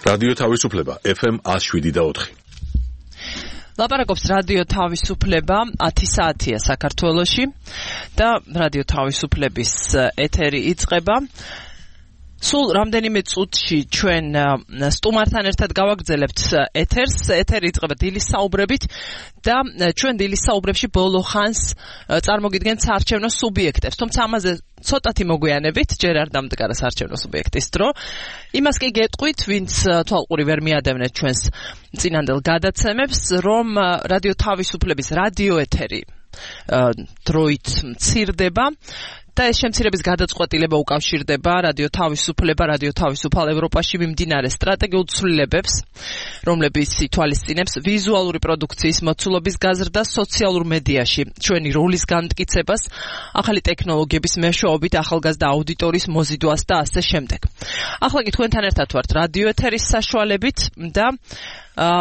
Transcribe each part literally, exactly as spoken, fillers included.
რადიო თავისუფლება ეფ ემ one oh seven და four. ლაპარაკობს რადიო თავისუფლება ათი საათია საქართველოში და რადიო თავისუფლების ეთერი იწყება. სულ რამდენიმე წუთში ჩვენ სტუმართან ერთად გავაგრძელებთ ეთერს. ეთერი იწყება დილის საუბრებით და ჩვენ დილის საუბრებში ბოლო ხანს წარმოგიდგენთ საარჩევნო სუბიექტებს. თუმცა ამაზე ცოტათი მოგვიანებით, ჯერ არ დამდგარა საარჩევნო სუბიექტის დრო. იმას კი გეტყვით, ვინც თვალყური ვერ მიადევნეთ ჩვენს წინანდელ გადაცემებს, რომ რადიო თავისუფლების რადიო ეთერი დროით მცირდება. და ეს შემცირების გადაწყვეტილება უკავშირდება რადიო თავისუფლება, რადიო თავისუფალ ევროპაში მიმდინარე სტრატეგიულ ცვლილებებს, რომლებიც ითვალისწინებს ვიზუალური პროდუქციის მოცულობის გაზრდას სოციალურ მედიაში, ჩვენი როლის განმტკიცებას, ახალი ტექნოლოგიების მეშვეობით ახალგაზრდა აუდიტორიის მოზიდვას და ასე შემდეგ. ახლა კი თქვენთან ერთად ვართ რადიო ეთერის საშუალებით და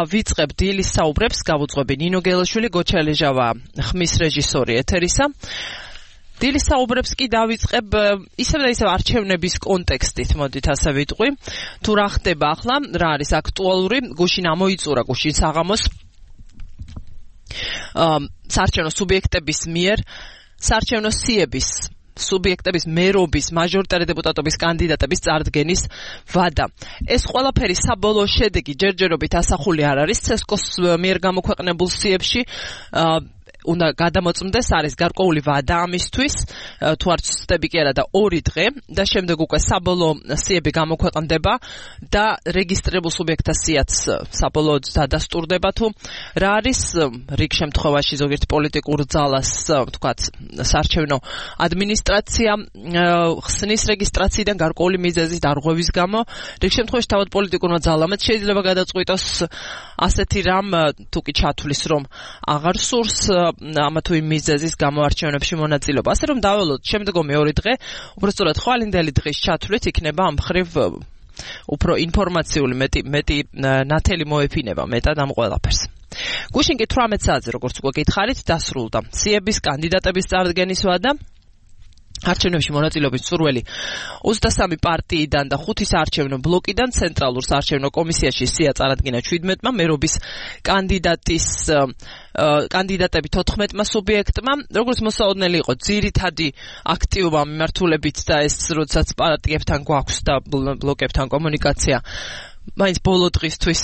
ვიწყებ დილის საუბრებს, გავუძღვები ნინო გელაშვილი, გოჩა ლეჟავა ხმის რეჟისორი ეთერისა. დილის საუბრებს კი დავიწყებ ისევ და ისევ არჩევნების კონტექსტით, მოდით ასე ვიტყვი. თუ რა ხდება ახლა, რა არის აქტუალური, გუშინ ამოიწურა გუშინ საღამოს საარჩევნო სუბიექტების მიერ საარჩევნო სიების სუბიექტების მერობის, მაჟორიტარი დეპუტატობის კანდიდატების წარდგენის ვადა. ეს ყველაფერი საბოლოო შედეგი ჯერჯერობით ასახული არ არის ცესკოს მიერ გამოქვეყნებულ სიებში. უნდა გადამოწმდეს, არის გარკვეული ვადა ამისთვის, თუ არ ვცდები კი არა და ორი დღე და შემდეგ უკვე საბოლოო სიები გამოქვეყნდება და რეგისტრირებულ სუბიექტთა სიაც საბოლოოდ დადასტურდება, თუ რა არის რიგ შემთხვევაში ზოგიერთ პოლიტიკურ ძალას, თქვათ, საარჩევნო ადმინისტრაცია ხსნის რეგისტრაციიდან გარკვეული მიზეზის დარღვევის გამო, რიგ შემთხვევაში თავად პოლიტიკურმა ძალამაც შეიძლება გადაწყვიტოს ასეთი რამ, თუ კი ჩათვლის, რომ აღარ სურს ამა თუ იმ მიზეზის გამოარჩევნებში მონაწილეობა. ასე რომ დაველოთ შემდგომი ორი დღე, უბრალოდ ხვალინდელი დღის ჩათვლით იქნება ამ მხრივ უფრო ინფორმაციული მეტი მეტი ნათელი მოეფინება მეტად ამ ყველაფერს. გუშინ კი თვრამეტ საათზე, როგორც უკვე გითხარით, დასრულდა სიების კანდიდატების წარდგენის ვადა. არჩევნებში მონაწილეობის სურველი ოცდასამი პარტიიდან და ხუთი საარჩევნო ბლოკიდან ცენტრალურ საარჩევნო კომისიაში სია წარადგინა შვიდმეტმა, მერობის კანდიდატის კანდიდატები თოთხმეტმა სუბიექტმა. როგორც მოსაოდნელი იყო ძირითადი აქტივობა მიმართულებით და ეს როდესაც პარტიებთან გვაქვს და ბლოკებთან კომუნიკაცია მაინც ბოლო დღისთვის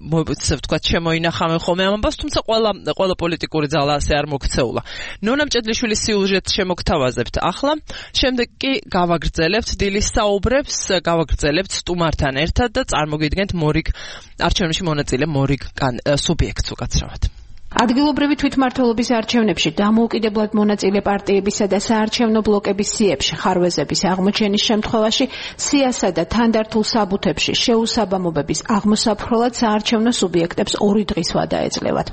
მოიცევ თქვა შემოინახავენ ხოლმე ამ ამბავს, თუმცა ყველა ყველა პოლიტიკური ძალა ასე არ მოქცეულა. ნონა მჭედლიშვილის სიუჟეტს შემოგთავაზებთ ახლა, შემდეგ კი გავაგრძელებთ დილის საუბრებს, გავაგრძელებთ სტუმართან ერთად და წარმოგიდგენთ მორიგ არჩევნებში მონაწილე მორიგ სუბიექტს უკაცრავად. ადგილობრივი თვითმმართველობის არჩევნებში დამოუკიდებლად მონაწილე პარტიებისა და საარჩევნო ბლოკების სიებში ხარვეზების აღმოჩენის შემთხვევაში სიასა და თანდართულ საბუთებში შეუსაბამობების აღმოსაფრთხებლად საარჩევნო სუბიექტებს ორი დღის ვადა ეძლევათ.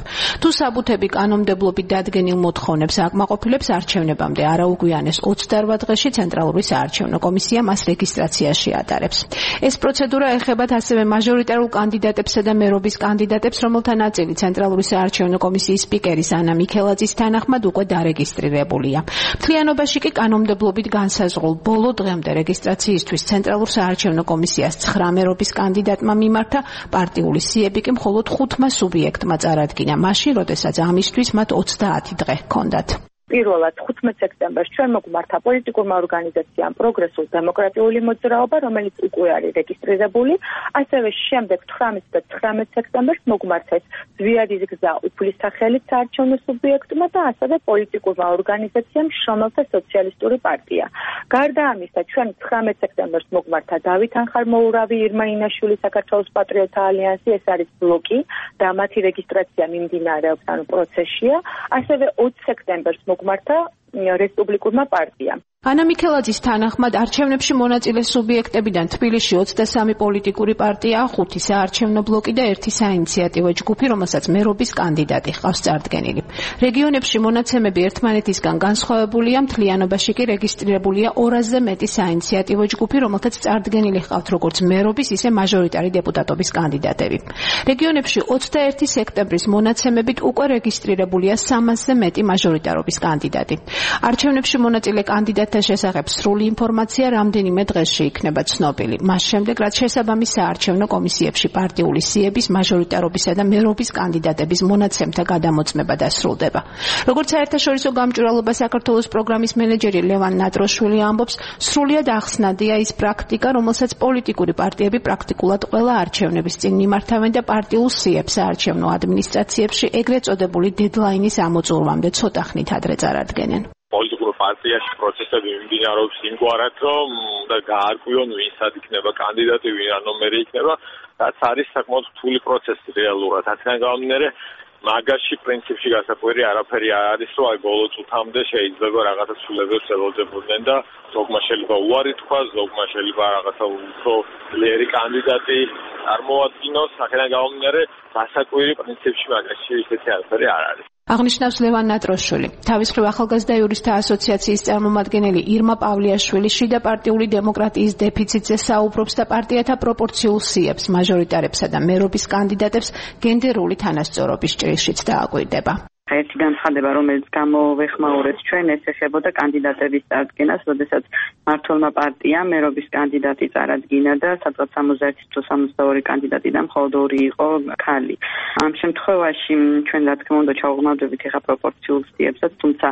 თუ საბუთები კანონმდებლობით დადგენილ მოთხოვნებს აკმაყოფილებს, არჩევნებამდე არაუგვიანეს ოცდაორ დღეში ცენტრალური საარჩევნო კომისია მას რეგისტრაციაში ატარებს. ეს პროცედურა ეხებათ ასევე მაჟორიტარულ კანდიდატებსა და მერობის კანდიდატებს, რომელთა ნაწილი ცენტრალური საარჩევნო კომისიის სპიკერის ანა მიქელაძის თანახმად უკვე დარეგისტრირებულია. მთლიანობაში კი კანონმდებლობით განსაზღვრულ ბოლო დღემდე რეგისტრაციისთვის ცენტრალურ საარჩევნო კომისიას ცხრა მერობის კანდიდატმა მიმართა, პარტიული სიები კი მხოლოდ ხუთმა სუბიექტმა წარადგინა, მაშინ, როდესაც ამისთვის მათ ოცდაათი დღე ჰქონდათ. პირველად ხუთმეტ სექტემბერს ჩვენ მოგვმართა პოლიტიკურმა ორგანიზაციამ პროგრესულ დემოკრატიული მოძრაობა, რომელიც უკვე არის რეგისტრირებული, ასევე შემდეგ თვრამეტ და ცხრამეტ სექტემბერს მოგვმართეს ზვიადის გზა უფლის სახელით საარჩევნო სუბიექტმა და ასევე პოლიტიკურმა ორგანიზაციამ შრომელთა სოციალისტური პარტია. გარდა ამისა, ჩვენ ცხრამეტ სექტემბერს მოგვმართა დავით ანხარმოურავი, ირმა ინაშვილი, საქართველოს პატრიოტთა ალიანსი, ეს არის ბლოკი და მათი რეგისტრაცია მიმდინარეობს, ანუ პროცესშია, ასევე ოცი სექტემბერს მოგვმართა რესპუბლიკურმა პარტიამ. ანა მიქელაძის თანახმად არჩევნებში მონაწილე სუბიექტებიდან თბილისში ოცდასამი პოლიტიკური პარტია, ხუთი საარჩევნო ბლოკი და ერთი საინიციატივო ჯგუფი, რომელსაც მერობის კანდიდატი ჰყავს წარდგენილი. რეგიონებში მონაცემები ერთმანეთისგან განსხვავებულია, მთლიანობაში კი რეგისტრირებულია ორასზე მეტი საინიციატივო ჯგუფი, რომელთაც წარდგენილი ჰყავთ როგორც მერობის, ისე მაჟორიტარი დეპუტატობის კანდიდატები. რეგიონებში ოცდაერთი სექტემბრის მონაცემებით უკვე რეგისტრირებულია სამასზე მეტი მაჟორიტარობის კანდიდატი. არჩევნებში მონაწილე კანდიდატები კანდიდატთა შესახებ სრული ინფორმაცია რამდენიმე დღეში იქნება ცნობილი. მას შემდეგ, რაც შესაბამის საარჩევნო კომისიებში პარტიული სიების, მაჟორიტარობისა და მერობის კანდიდატების მონაცემთა გადამოწმება დასრულდება. როგორც საერთაშორისო გამჭვირვალობა საქართველოს პროგრამის მენეჯერი ლევან ნატროშვილი ამბობს, სრულიად ახსნადია ის პრაქტიკა, რომელსაც პოლიტიკური პარტიები პრაქტიკულად ყველა არჩევნების წინ მიმართავენ და პარტიულ სიებს საარჩევნო ადმინისტრაციებში ეგრეთ წოდებული დედლაინის ამოწურვამდე ცოტა ხნით ადრე წარადგენენ. პოლიტიკურ პარტიაში პროცესები მიმდინარეობს იმგვარად, რომ და გაარკვიონ ვინცად იქნება კანდიდატი, ვინ რა ნომერი იქნება, რაც არის საკმაოდ რთული პროცესი რეალურად. აქედან გამომდინარე, მაგაში პრინციპში გასაკვირი არაფერი არ არის, რომ აი ბოლო წუთამდე შეიძლება რაღაცა ცვლილებებს ელოდებოდნენ და ზოგმა შეიძლება უარი თქვა, ზოგმა შეიძლება რაღაცა უფრო ძლიერი კანდიდატი წარმოადგინოს. აქედან გამომდინარე, გასაკვირი პრინციპში მაგაში ისეთი არაფერი არ არის. აღნიშნავს ლევან ნატროშვილი. თავის მხრივ ახალგაზრდა იურისტთა ასოციაციის წარმომადგენელი ირმა პავლიაშვილი შიდა პარტიული დემოკრატიის დეფიციტზე საუბრობს და პარტიათა პროპორციულ სიებს, მაჟორიტარებსა და მერობის კანდიდატებს გენდერული თანასწორობის ჭრილშიც დააკვირდება. ერთი განცხადება, რომელიც გამოვეხმაურეთ ჩვენ, ეს ეხებოდა კანდიდატების წარდგენას, როდესაც მმართველმა პარტიამ მერობის კანდიდატი წარადგინა და სადღაც სამოცდაერთი თუ სამოცდაორი კანდიდატიდან მხოლოდ ორი იყო ქალი. ამ შემთხვევაში ჩვენ რა თქმა უნდა ჩავღმავდებით ეხა პროპორციულ სიებსაც, თუმცა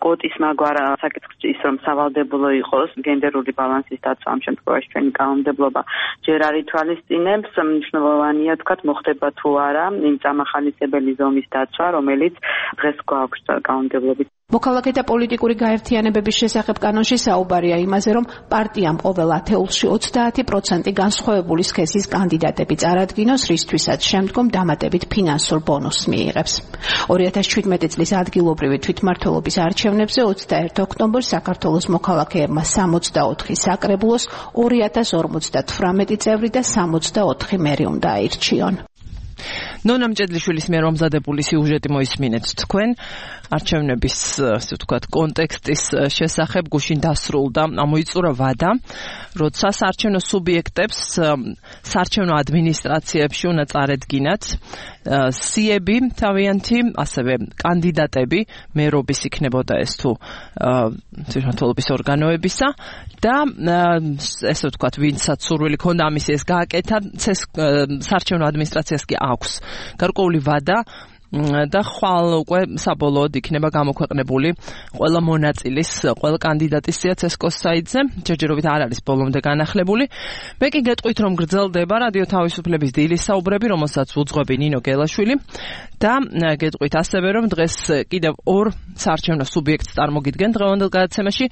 კვოტის მაგვარა საკითხი ის რომ სავალდებულო იყოს გენდერული ბალანსის დაცვა ამ შემთხვევაში ჩვენი კანონმდებლობა ჯერ არ ითვალისწინებს, მნიშვნელოვანია თქვათ მოხდება თუ არა იმ წამახალისებელი ზომის დაცვა, რომელიც დღეს გვაქვს კანონმდებლობით. მოქალაქეთა პოლიტიკური გაერთიანებების შესახებ კანონში საუბარია იმაზე, რომ პარტიამ ყოველ ათეულში ოცდაათი პროცენტი განსხვავებული სქესის კანდიდატები წარადგინოს, რისთვისაც შემდგომ დამატებით ფინანსურ ბონუსს მიიღებს. ორი ათას შვიდმეტი წლის ადგილობრივი თვითმმართველობის არჩევნებზე ოცდაერთი ოქტომბერს საქართველოს მოქალაქეებმა სამოცდაოთხი საკრებულოს, ორი ათას ორმოცდათვრამეტი წევრი და სამოცდაოთხი მერი უნდა აირჩიონ. ნონა მჭედლიშვილის მიერ მომზადებული სიუჟეტი მოისმინეთ თქვენ არჩევნების ასე ვთქვათ კონტექსტის შესახებ გუშინ დასრულდა ამოიწურა ვადა, როცა საარჩევნო სუბიექტებს საარჩევნო ადმინისტრაციებში უნდა წარედგინათ სიები თავიანთი, ასევე კანდიდატები მერობის იქნებოდა ეს თუ თვითმმართველობის ორგანოებისა და ესე ვთქვათ ვინცაც სურვილი ქონდა ამის ეს გააკეთა, საარჩევნო ადმინისტრაციას კი აქვს გარკვეული ვადა და ხვალ უკვე საბოლოოდ იქნება გამოქვეყნებული ყველა მონაწილის, ყველა კანდიდატის სია ცესკოს საიტზე, ჯერჯერობით არ არის ბოლომდე განახლებული. მე კი გეტყვით, რომ გრძელდება რადიო თავისუფლების დილის საუბრები, რომელსაც უძღვები ნინო გელაშვილი და გეტყვით ასევე, რომ დღეს კიდევ ორ საარჩევნო სუბიექტს წარმოგიდგენ დღევანდელ გადაცემაში.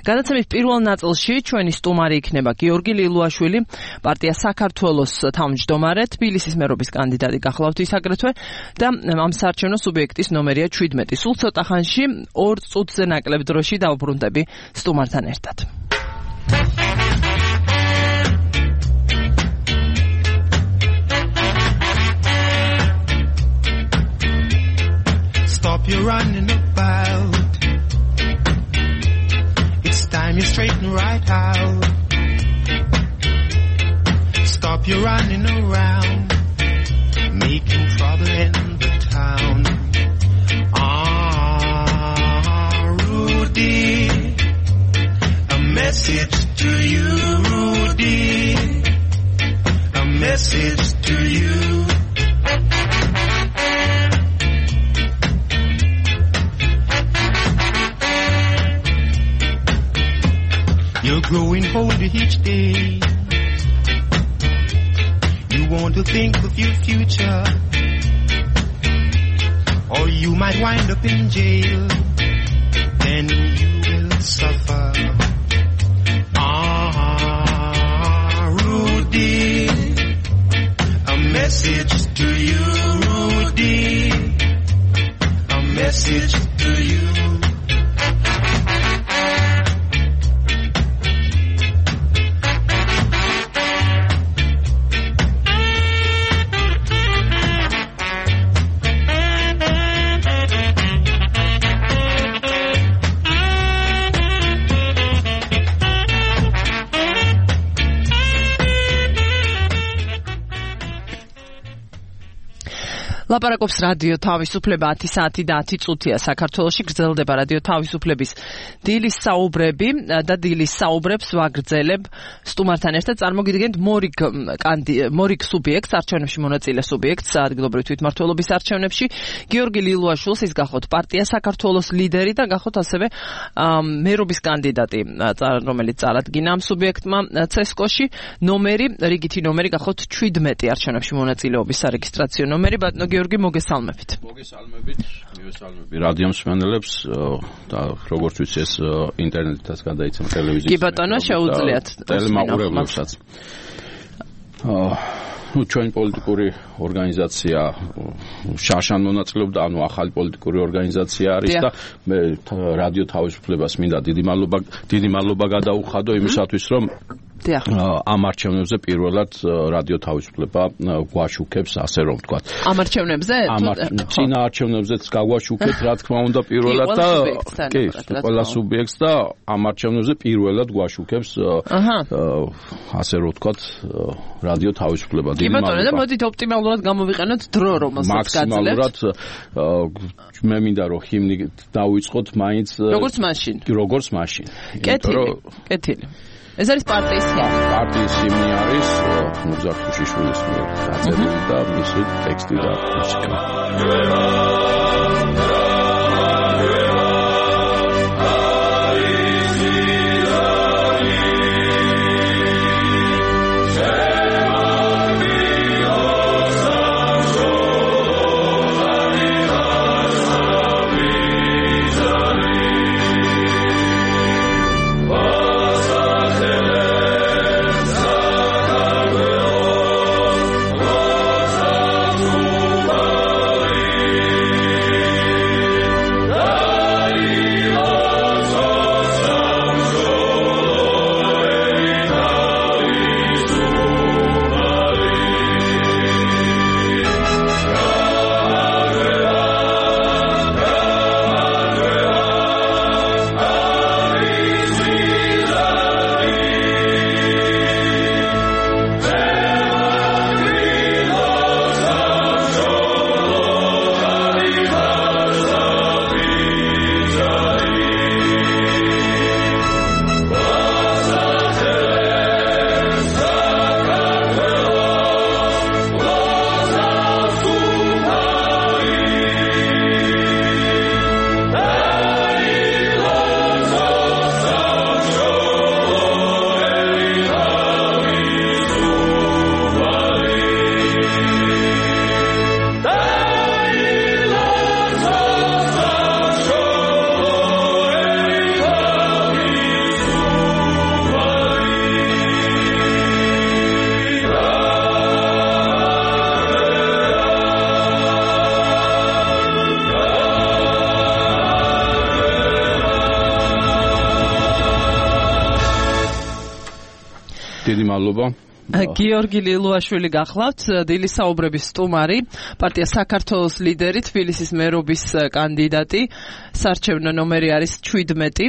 გადაცემის პირველ ნაწილში ჩვენი სტუმარი იქნება გიორგი ლილუაშვილი, პარტია საქართველოს თავმჯდომარე, თბილისის მერობის კანდიდატი გახლავთ ის აგრეთვე და ამ საარჩევნო სუბიექტის ნომერია შვიდმეტი. სულ ცოტა ხანში ორ წუთზე ნაკლებ დროში დავბრუნდები სტუმართან ერთად. Stop your running about. It's time you straighten right out. Stop your running around, making trouble in the town. Ah, Rudy, a message to you, Rudy, a message to you. You're growing older each day. You want to think of your future, or you might wind up in jail. Then you will suffer. Ah, Rudy, a message to you, Rudy, a message to you. ლაპარაკობს რადიო თავისუფლება ათი საათი და ათი წუთია საქართველოში გრძელდება რადიო თავისუფლების დილის საუბრები და დილის საუბრებს ვაგრძელებ სტუმართან ერთად წარმოგიდგენთ მორიგ მორიგ სუბიექტს არჩევნებში მონაწილე სუბიექტს ადგილობრივი თვითმმართველობის არჩევნებში გიორგი ლილუაშვილს ის გახოთ პარტია საქართველოს ლიდერი და გახოთ ასევე მერობის კანდიდატი რომელიც წარადგინა ამ სუბიექტმა ცესკოში ნომერი რიგითი ნომერი გახოთ შვიდმეტი არჩევნებში მონაწილეობის სარეგისტრაციო ნომერი ბატონო გიორგი მოგესალმებით. მოგესალმებით, მივესალმები რადიო მსმენელებს და როგორც ვიცი ეს ინტერნეტითაც გადაიცემა ტელევიზიაში. კი ბატონო, შეუძლიათ ტელემაყურებლებსაც. აა ну ჩვენ პოლიტიკური ორგანიზაცია შაშან მონაწილეობდა, ანუ ახალი პოლიტიკური ორგანიზაცია არის და მე რადიო თავისუფლებას მინდა დიდი მადლობა დიდი მადლობა გადაუხადო იმისათვის რომ ამ არჩევნებზე პირველად რადიო თავისუფლება გვაშუქებს, ასე რომ ვთქვათ. ამ არჩევნებზე? წინა არჩევნებზეც გაგვაშუქეთ, რა თქმა უნდა, პირველად და კი, ყველა სუბიექტს და ამ არჩევნებზე პირველად გვაშუქებს, ასე რომ ვთქვათ, რადიო თავისუფლება. კი ბატონო, და მოდით ოპტიმალურად გამოვიყენოთ დრო, რომელსაც გაძლევთ. მაქსიმალურად მე მინდა რომ ჰიმნი დავიწყოთ მაინც როგორც მაშინ. როგორც მაშინ. კეთილი, კეთილი. ეს არის პარტიის ჰიმნი. პარტიის ჰიმნი არის ნუზარ ქუშიშვილის მიერ დაწერილი და მისი ტექსტი და მუსიკა. დიდი მადლობა. გიორგი ლილუაშვილი გახლავთ, დილის საუბრების სტუმარი, პარტია საქართველოს ლიდერი, თბილისის მერობის კანდიდატი, საარჩევნო ნომერი არის შვიდმეტი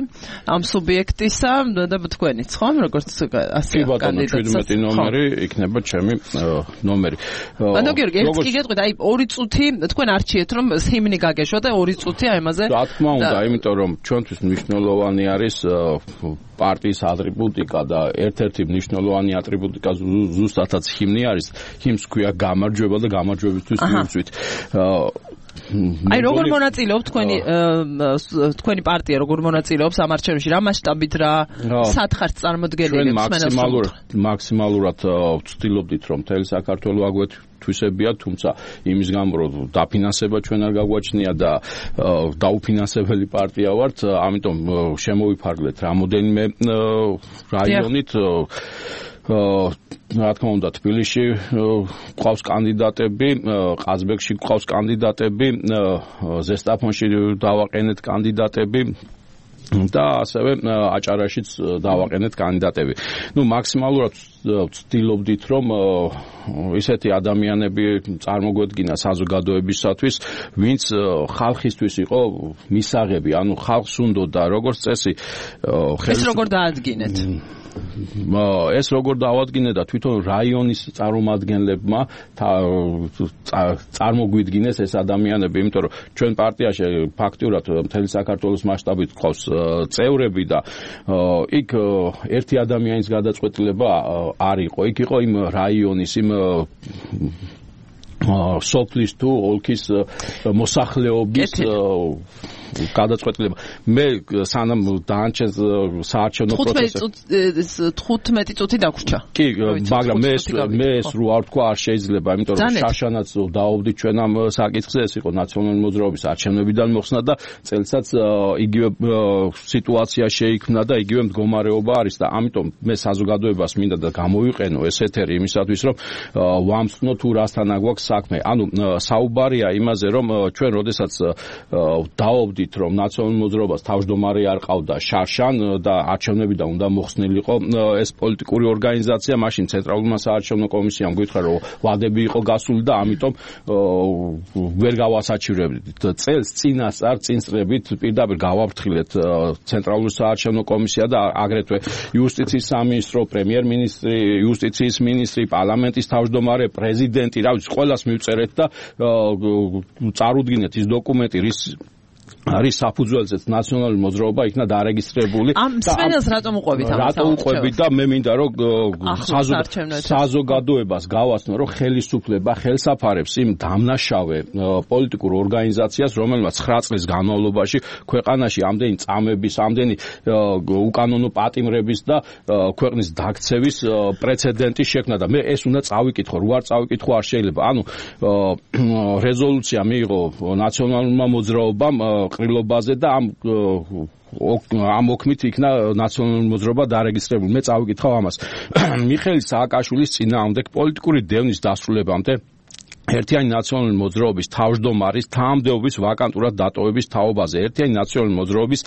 ამ სუბიექტისა და თქვენიც, ხო? როგორც ასე კანდიდატი. შვიდმეტი ნომერი იქნება ჩემი ნომერი. ბატონო გიორგი, ერთ კი გეტყვით, აი ორი წუთი თქვენ არჩიეთ რომ ჰიმნი გაგეშვა და ორი წუთი აი ამაზე. რა თქმა უნდა, იმიტომ რომ ჩვენთვის მნიშვნელოვანი არის პარტიის ატრიბუტიკა და ერთ-ერთი მნიშვნელოვანი ატრიბუტიკა ზუსტადაც ჰიმნი არის. ჰიმნს ქვია გამარჯვება და გამარჯვებისთვის მივწვით. აი როგორ მონაწილეობთ თქვენი თქვენი პარტია როგორ მონაწილეობს ამ არჩევნებში რა მასშტაბით რა სათხარს წარმოდგენილი მაქსიმალურად მაქსიმალურად ვცდილობდით რომ მთელი საქართველო აგვეთვისებია თუმცა იმის გამო რომ დაფინანსება ჩვენ არ გაგვაჩნია და დაუფინანსებელი პარტია ვართ ამიტომ შემოვიფარგლეთ რამოდენიმე რაიონით რა თქმა უნდა თბილისში ყავს კანდიდატები, ყაზბეგში ყავს კანდიდატები, ზესტაფონში დავაყენეთ კანდიდატები და ასევე აჭარაშიც დავაყენეთ კანდიდატები. ნუ მაქსიმალურად ვცდილობდით რომ ისეთი ადამიანები წარმოგვედგინა საზოგადოებისათვის, ვინც ხალხისთვის იყო მისაღები, ანუ ხალხს უნდოდა როგორც წესი ეს როგორ დაადგინეთ? ეს როგორ დავადგინე და თვითონ რაიონის წარმომადგენლებმა წარმოგვიდგინეს ეს ადამიანები, იმიტომ რომ ჩვენ პარტიაში ფაქტურად მთელი საქართველოს მასშტაბით ყავს წევრები და იქ ერთი ადამიანის გადაწყვეტილება არ იყო. იქ იყო იმ რაიონის იმ სოფლის თუ ოლქის მოსახლეობის გადაწყვეტილება. მე სანამ დაანჩენს საარჩევნო პროცესი თხუთმეტი წუთი დაგვრჩა. კი, მაგრამ მე მე ეს რო არ თქვა არ შეიძლება, იმიტომ რომ შაშანაც დააუვდით ჩვენ ამ საკითხზე, ეს იყო ნაციონალური მოძრაობის არჩევნებიდან მოხსნა და წელსაც იგივე სიტუაცია შეიქმნა და იგივე მდგომარეობა არის და ამიტომ მე საზოგადოებას მინდა და გამოვიყენო ეს ეთერი იმისათვის, რომ ვამსწნო თუ რასთან აგვაქვს საქმე. ანუ საუბარია იმაზე, რომ ჩვენ როდესაც დააუვდით რომ ნაციონალურ მოძრაობას თავმჯდომარე არ ყავდა შარშან და არჩევნებიდან უნდა მოხსნილიყო ეს პოლიტიკური ორგანიზაცია, მაშინ ცენტრალურმა საარჩევნო კომისიამ გითხრა რომ ვადები იყო გასული და ამიტომ ვერ გავასაჩივრებდით. წელს წინასწარ წინწრებით პირდაპირ გავაფრთხილეთ ცენტრალური საარჩევნო კომისია და აგრეთვე იუსტიციის სამინისტრო, პრემიერ-მინისტრი, იუსტიციის მინისტრი, პარლამენტის თავმჯდომარე, პრეზიდენტი, რა ვიცი, ყველას მივწერეთ და წარუდგინეთ ის დოკუმენტი, რის არის საფუძველზეც ნაციონალური მოძრაობა იქნა დარეგისტრირებული. ამ სპეციალს რატომ უყვებით ამას? რატომ უყვებით და მე მინდა რომ საზოგადოებას გავაცნო, რომ ხელისუფლება ხელსაფარებს იმ დამნაშავე პოლიტიკურ ორგანიზაციას, რომელმაც ცხრა წლის განმავლობაში ქვეყანაში ამდენი წამების, ამდენი უკანონო პატიმრების და ქვეყნის დაქცევის პრეცედენტი შექმნა და მე ეს უნდა წავიკითხო, რო არ წავიკითხო არ შეიძლება. ანუ რეზოლუცია მიიღო ნაციონალურმა მოძრაობამ ყრილობაზე და ამ ამ ოქმით იქნა ნაციონალური მოძრაობა დარეგისტრირებული. მე წავიკითხავ ამას. მიხეილ სააკაშვილის წინააღმდეგ პოლიტიკური დევნის დასრულებამდე ერთიანი ნაციონალური მოძრაობის თავმჯდომარის თანამდებობის ვაკანტურად დატოვების თაობაზე ერთიანი ნაციონალური მოძრაობის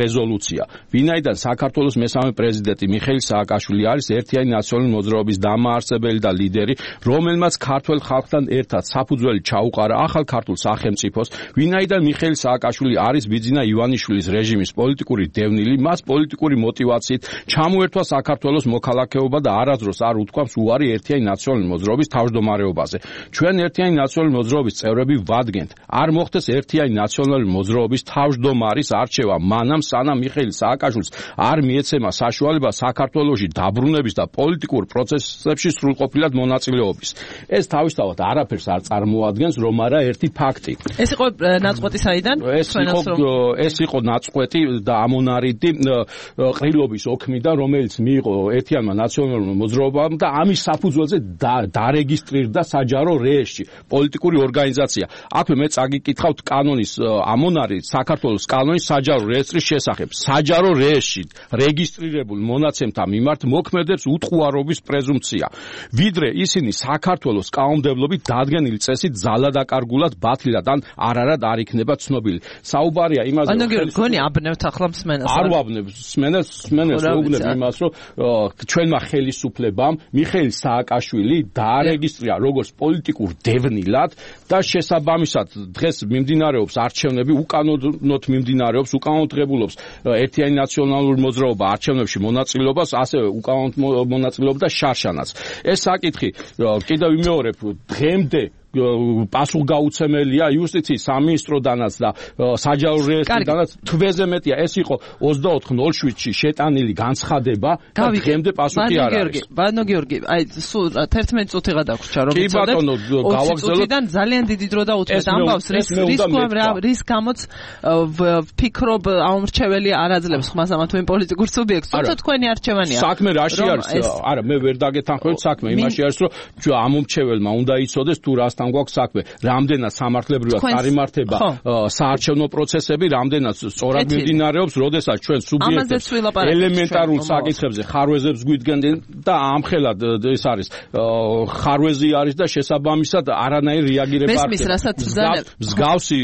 რეზოლუცია. ვინაიდან საქართველოს მესამე პრეზიდენტი მიხეილ სააკაშვილი არის ერთიანი ნაციონალური მოძრაობის დამაარსებელი და ლიდერი, რომელმაც ქართველ ხალხთან ერთად საფუძველი ჩაუყარა ახალ ქართულ სახელმწიფოს, ვინაიდან მიხეილ სააკაშვილი არის ბიძინა ივანიშვილის რეჟიმის პოლიტიკური დევნილი, მას პოლიტიკური мотивაციით ჩამოერთვა საქართველოს მოქალაქეობა და არასდროს არ უთქვამს უარი ერთიანი ნაციონალური მოძრაობის თავმჯდომარეობაზე. ჩვენ ერთიანი ნაციონალური მოძრაობის წევრები ვადგენთ, არ მოხდეს ერთიანი ნაციონალური მოძრაობის თავმჯდომარის არჩევა, მანამ სანამ მიხეილ სააკაშვილს არ მიეცემა საშუალება საქართველოში დაბრუნების და პოლიტიკურ პროცესებში სრულყოფილად მონაწილეობის. ეს თავისთავად არაფერს არ წარმოადგენს, რომ არა ერთი ფაქტი. ეს იყო ნაწყვეტი საიდან? ეს იყო ეს იყო ნაწყვეტი და ამონარიდი ყრილობის ოქმიდან, რომელიც მიიღო ერთიანმა ნაციონალურმა მოძრაობამ და ამის საფუძველზე დარეგისტრირდა საჯარო რეესტრი პოლიტიკური ორგანიზაცია. აქვე მე წაგიკითხავთ კანონის ამონარი საქართველოს კანონის საჯარო რეესტრის შესახებ. საჯარო რეესტრი რეგისტრირებულ მონაცემთა მიმართ მოქმედებს უთყუარობის პრეზუმპცია. ვიდრე ისინი საქართველოს კანონმდებლობით დადგენილი წესით ძალადაკარგულად ბათლილად ან არარად არ იქნება ცნობილი. საუბარია იმაზე, რომ გონი აბნევთ ახლა მსმენელს. არ ვაბნევ მსმენელს, მსმენელს ვუბნებ იმას, რომ ჩვენმა ხელისუფლებამ მიხეილ სააკაშვილი დაარეგისტრირა როგორც პოლიტიკურ დევნილად და შესაბამისად დღეს მიმდინარეობს არჩევნები, უკანონოდ მიმდინარეობს, უკანონოდ ღებულობს ერთიანი ნაციონალური მოძრაობა არჩევნებში მონაწილეობას, ასევე უკანონოდ მონაწილეობდა შარშანაც. ეს საკითხი კიდევ ვიმეორებ, დღემდე პასუხგაუცემელია იუსტიციის სამინისტროდანაც და საჯარო რეესტრიდანაც თვეზე მეტია. ეს იყო ოცდაოთხ ნოლ შვიდში შეტანილი განცხადება და დღემდე პასუხი არ არის. ბანო გიორგი, აი სულ თერთმეტი წუთი გადაგვრჩა რომ ვიცოდეთ. კი ბატონო, გავაგზავნოთ. ძალიან დიდი დრო დაუწევთ ამბავს, რის რის გამოც ვფიქრობ აუმრჩეველი არ აძლევს ხმას ამათ მე პოლიტიკურ სუბიექტს, თუმცა თქვენი არჩევანია. საქმე რაში არის? არა, მე ვერ დაგეთანხმებით საქმე, იმაში არის, რომ ამომრჩეველმა უნდა იცოდეს თუ რას გვაქვს საქმე, რამდენად სამართლებრივად წარიმართება საარჩევნო პროცესები, რამდენად სწორად მიმდინარეობს, როდესაც ჩვენ სუბიექტებს ელემენტარულ საკითხებზე ხარვეზებს გვიდგენდნენ და ამხელად ეს არის ხარვეზი არის და შესაბამისად არანაირი რეაგირება არ ხდება. მსგავსი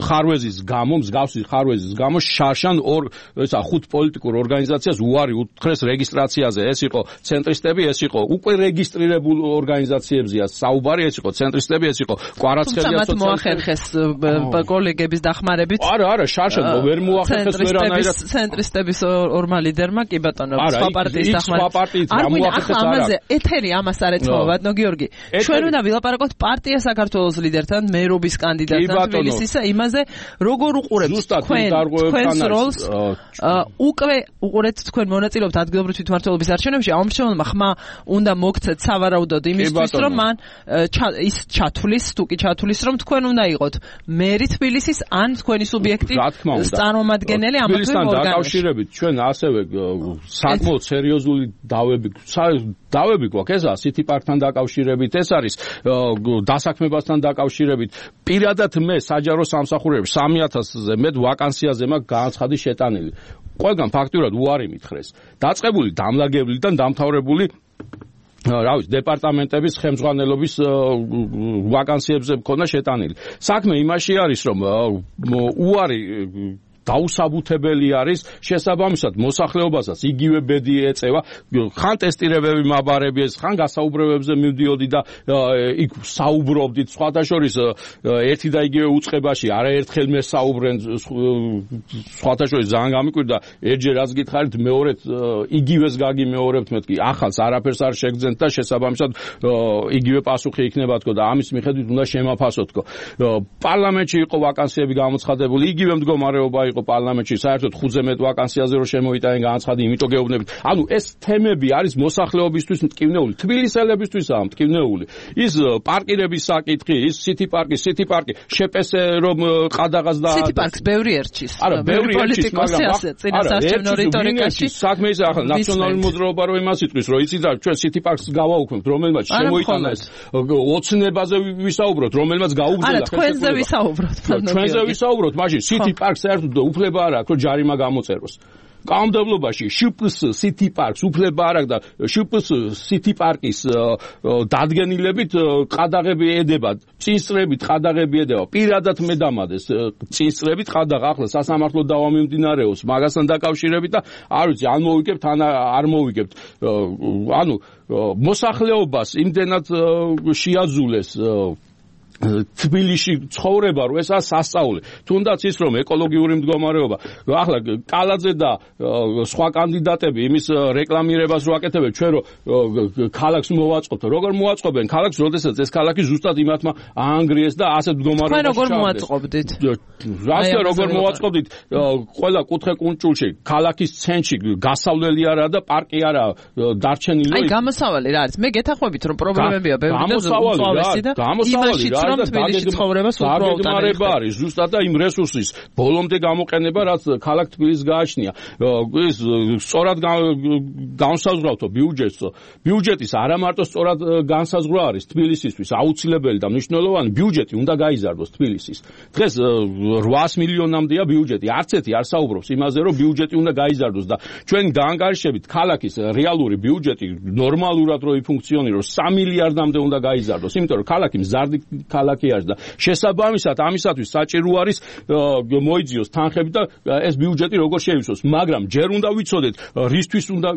ხარვეზის გამო, მსგავსი ხარვეზის გამო შარშან ორ ესა ხუთ პოლიტიკურ ორგანიზაციას უარი უთხრეს რეგისტრაციაზე. ეს იყო ცენტრისტები, ეს იყო უკვე რეგისტრირებულ ორგანიზაციებზია საუბარი, ეს იყო ცენტრისტები ხსენები ეს იყო კვარაცხელია სოციალისტები. თუმცა მათ მოახერხეს კოლეგების დახმარებით. არა, არა, შარშად ვერ მოახერხეს ვერანაირად. ცენტრისტების ორმა ლიდერმა კი ბატონო, სხვა პარტიის დახმარებით. არ მოახერხეს არა. ამაზე ეთერი ამას არ ეცხოვა ბატონო გიორგი. ჩვენ უნდა ვილაპარაკოთ პარტია საქართველოს ლიდერთან, მერობის კანდიდატთან თბილისის იმაზე, როგორ უყურებთ თქვენ თქვენს როლს უკვე უყურეთ თქვენ მონაწილეობთ ადგილობრივი თვითმმართველობის არჩევნებში, ამ შემოვლმა ხმა უნდა მოგცეთ სავარაუდოდ იმისთვის, რომ მან ის ჩათვლის, თუ კი ჩათვლის, რომ თქვენ უნდა იყოთ მერი თბილისის ან თქვენი სუბიექტი წარმომადგენელი ამ ორგანოში. დაკავშირებით ჩვენ ასევე საკმაოდ სერიოზული დავები დავები გვაქვს ესა City Park-თან დაკავშირებით, ეს არის დასაქმებასთან დაკავშირებით. პირადად მე საჯარო სამსახურებში სამი ათასზე მეტ ვაკანსიაზე მაქვს განაცხადი შეტანილი. ყველგან ფაქტურად უარი მითხრეს. დაწყებული დამლაგებლიდან დამთავრებული რა ვიცი დეპარტამენტების ხელმძღვანელობის ვაკანსიებზე მქონდა შეტანილი. საქმე იმაში არის რომ უარი დაუსაბუთებელი არის შესაბამისად მოსახლეობასაც იგივე ბედი ეწევა ხან ტესტირებები მაბარებიეს ხან გასაუბრებებზე მივდიოდი და იქ საუბრობდით სხვათა შორის ერთი და იგივე უწყებაში არაერთხელ მე საუბრენ სხვათა შორის ძალიან გამიკვირდა ერთჯერ რაც გითხარით მეორედ იგივეს გაგიმეორებთ მეთქი ახალს არაფერს არ შეგძენთ და შესაბამისად იგივე პასუხი იქნება თქო და ამის მიხედვით უნდა შემაფასოთ თქო პარლამენტში იყო ვაკანსიები გამოცხადებული იგივე მდგომარეობა იყო პარლამენტში საერთოდ ხუთზე მეტ ვაკანსიაზე რომ შემოიტანენ განაცხადი იმიტომ გეუბნებით ანუ ეს თემები არის მოსახლეობისთვის მტკივნეული თბილისელებისთვისაა მტკივნეული ის პარკირების საკითხი ის City Park-ი City Park-ი შეპესე რომ ყადაღას და City Park-ს ბევრი ერჩის არა ბევრი ერჩის მაგრამ წინასარჩევნო რიტორიკაში საქმე ისე ახლა ნაციონალური მოძრაობა რომ იმას იტყვის რომ იცით რა ჩვენ City Park-ს გავაუქმებთ რომელმაც შემოიტანა ეს ოცნებაზე ვისაუბროთ რომელმაც გაუგზავნა არა თქვენზე ვისაუბროთ ჩვენზე ვისაუბროთ მაშინ City Park საერთოდ უფლება არ აქვს რომ ჯარიმა გამოწეროს. კანონმდებლობაში შპს City Park-ს უფლება არ აქვს და შპს City Park-ის დადგენილებით ყადაღები ედება, წინსწრებით ყადაღები ედება. პირადად მე დამადეს წინსწრებით ყადაღ ახლა სასამართლო დავა მიმდინარეობს მაგასთან დაკავშირებით და არ ვიცი ან მოვიგებთ ან არ მოვიგებთ. ანუ მოსახლეობას იმდენად შეაძულეს თბილისში ცხოვრება რო ესაა სასწაული. თუნდაც ის რომ ეკოლოგიური მდგომარეობა ახლა კალაძე და სხვა კანდიდატები იმის რეკლამირებას რო აკეთებენ ჩვენ რო ქალაქს მოვაწყობთ. როგორ მოვაწყობენ ქალაქს, როდესაც ეს ქალაქი ზუსტად იმათმა აანგრიეს და ასეთ მდგომარეობაში. თქვენ როგორ მოვაწყობდით? რასე როგორ მოვაწყობდით? ყველა კუთხე კუნჭულში ქალაქის ცენტრში გასავლელი არა და პარკი არა დარჩენილი. აი გამოსავალი რა არის? მე გეთახვებით რომ პრობლემებია ბევრი და უწავესი და გამოსავალი რა რომ თბილისში ცხოვრებას უბრალოდ არის ზუსტად და იმ რესურსის ბოლომდე გამოყენება რაც ქალაქ თბილისს გააჩნია ის სწორად განსაზღვრავთო ბიუჯეტს ბიუჯეტის არა მარტო სწორად განსაზღვრა არის თბილისისთვის აუცილებელი და მნიშვნელოვანი ბიუჯეტი უნდა გაიზარდოს თბილისის დღეს რვაას მილიონამდეა ბიუჯეტი არც ერთი არ საუბრობს იმაზე რომ ბიუჯეტი უნდა გაიზარდოს და ჩვენ გაანგარიშებით ქალაქის რეალური ბიუჯეტი ნორმალურად რო იფუნქციონიროს სამი მილიარდამდე უნდა გაიზარდოს იმიტომ რომ ქალაქი მზარდი ქალაქი არის და შესაბამისად ამისათვის საჭირო არის მოიძიოს თანხები და ეს ბიუჯეტი როგორ შეივსოს მაგრამ ჯერ უნდა ვიცოდეთ რისთვის უნდა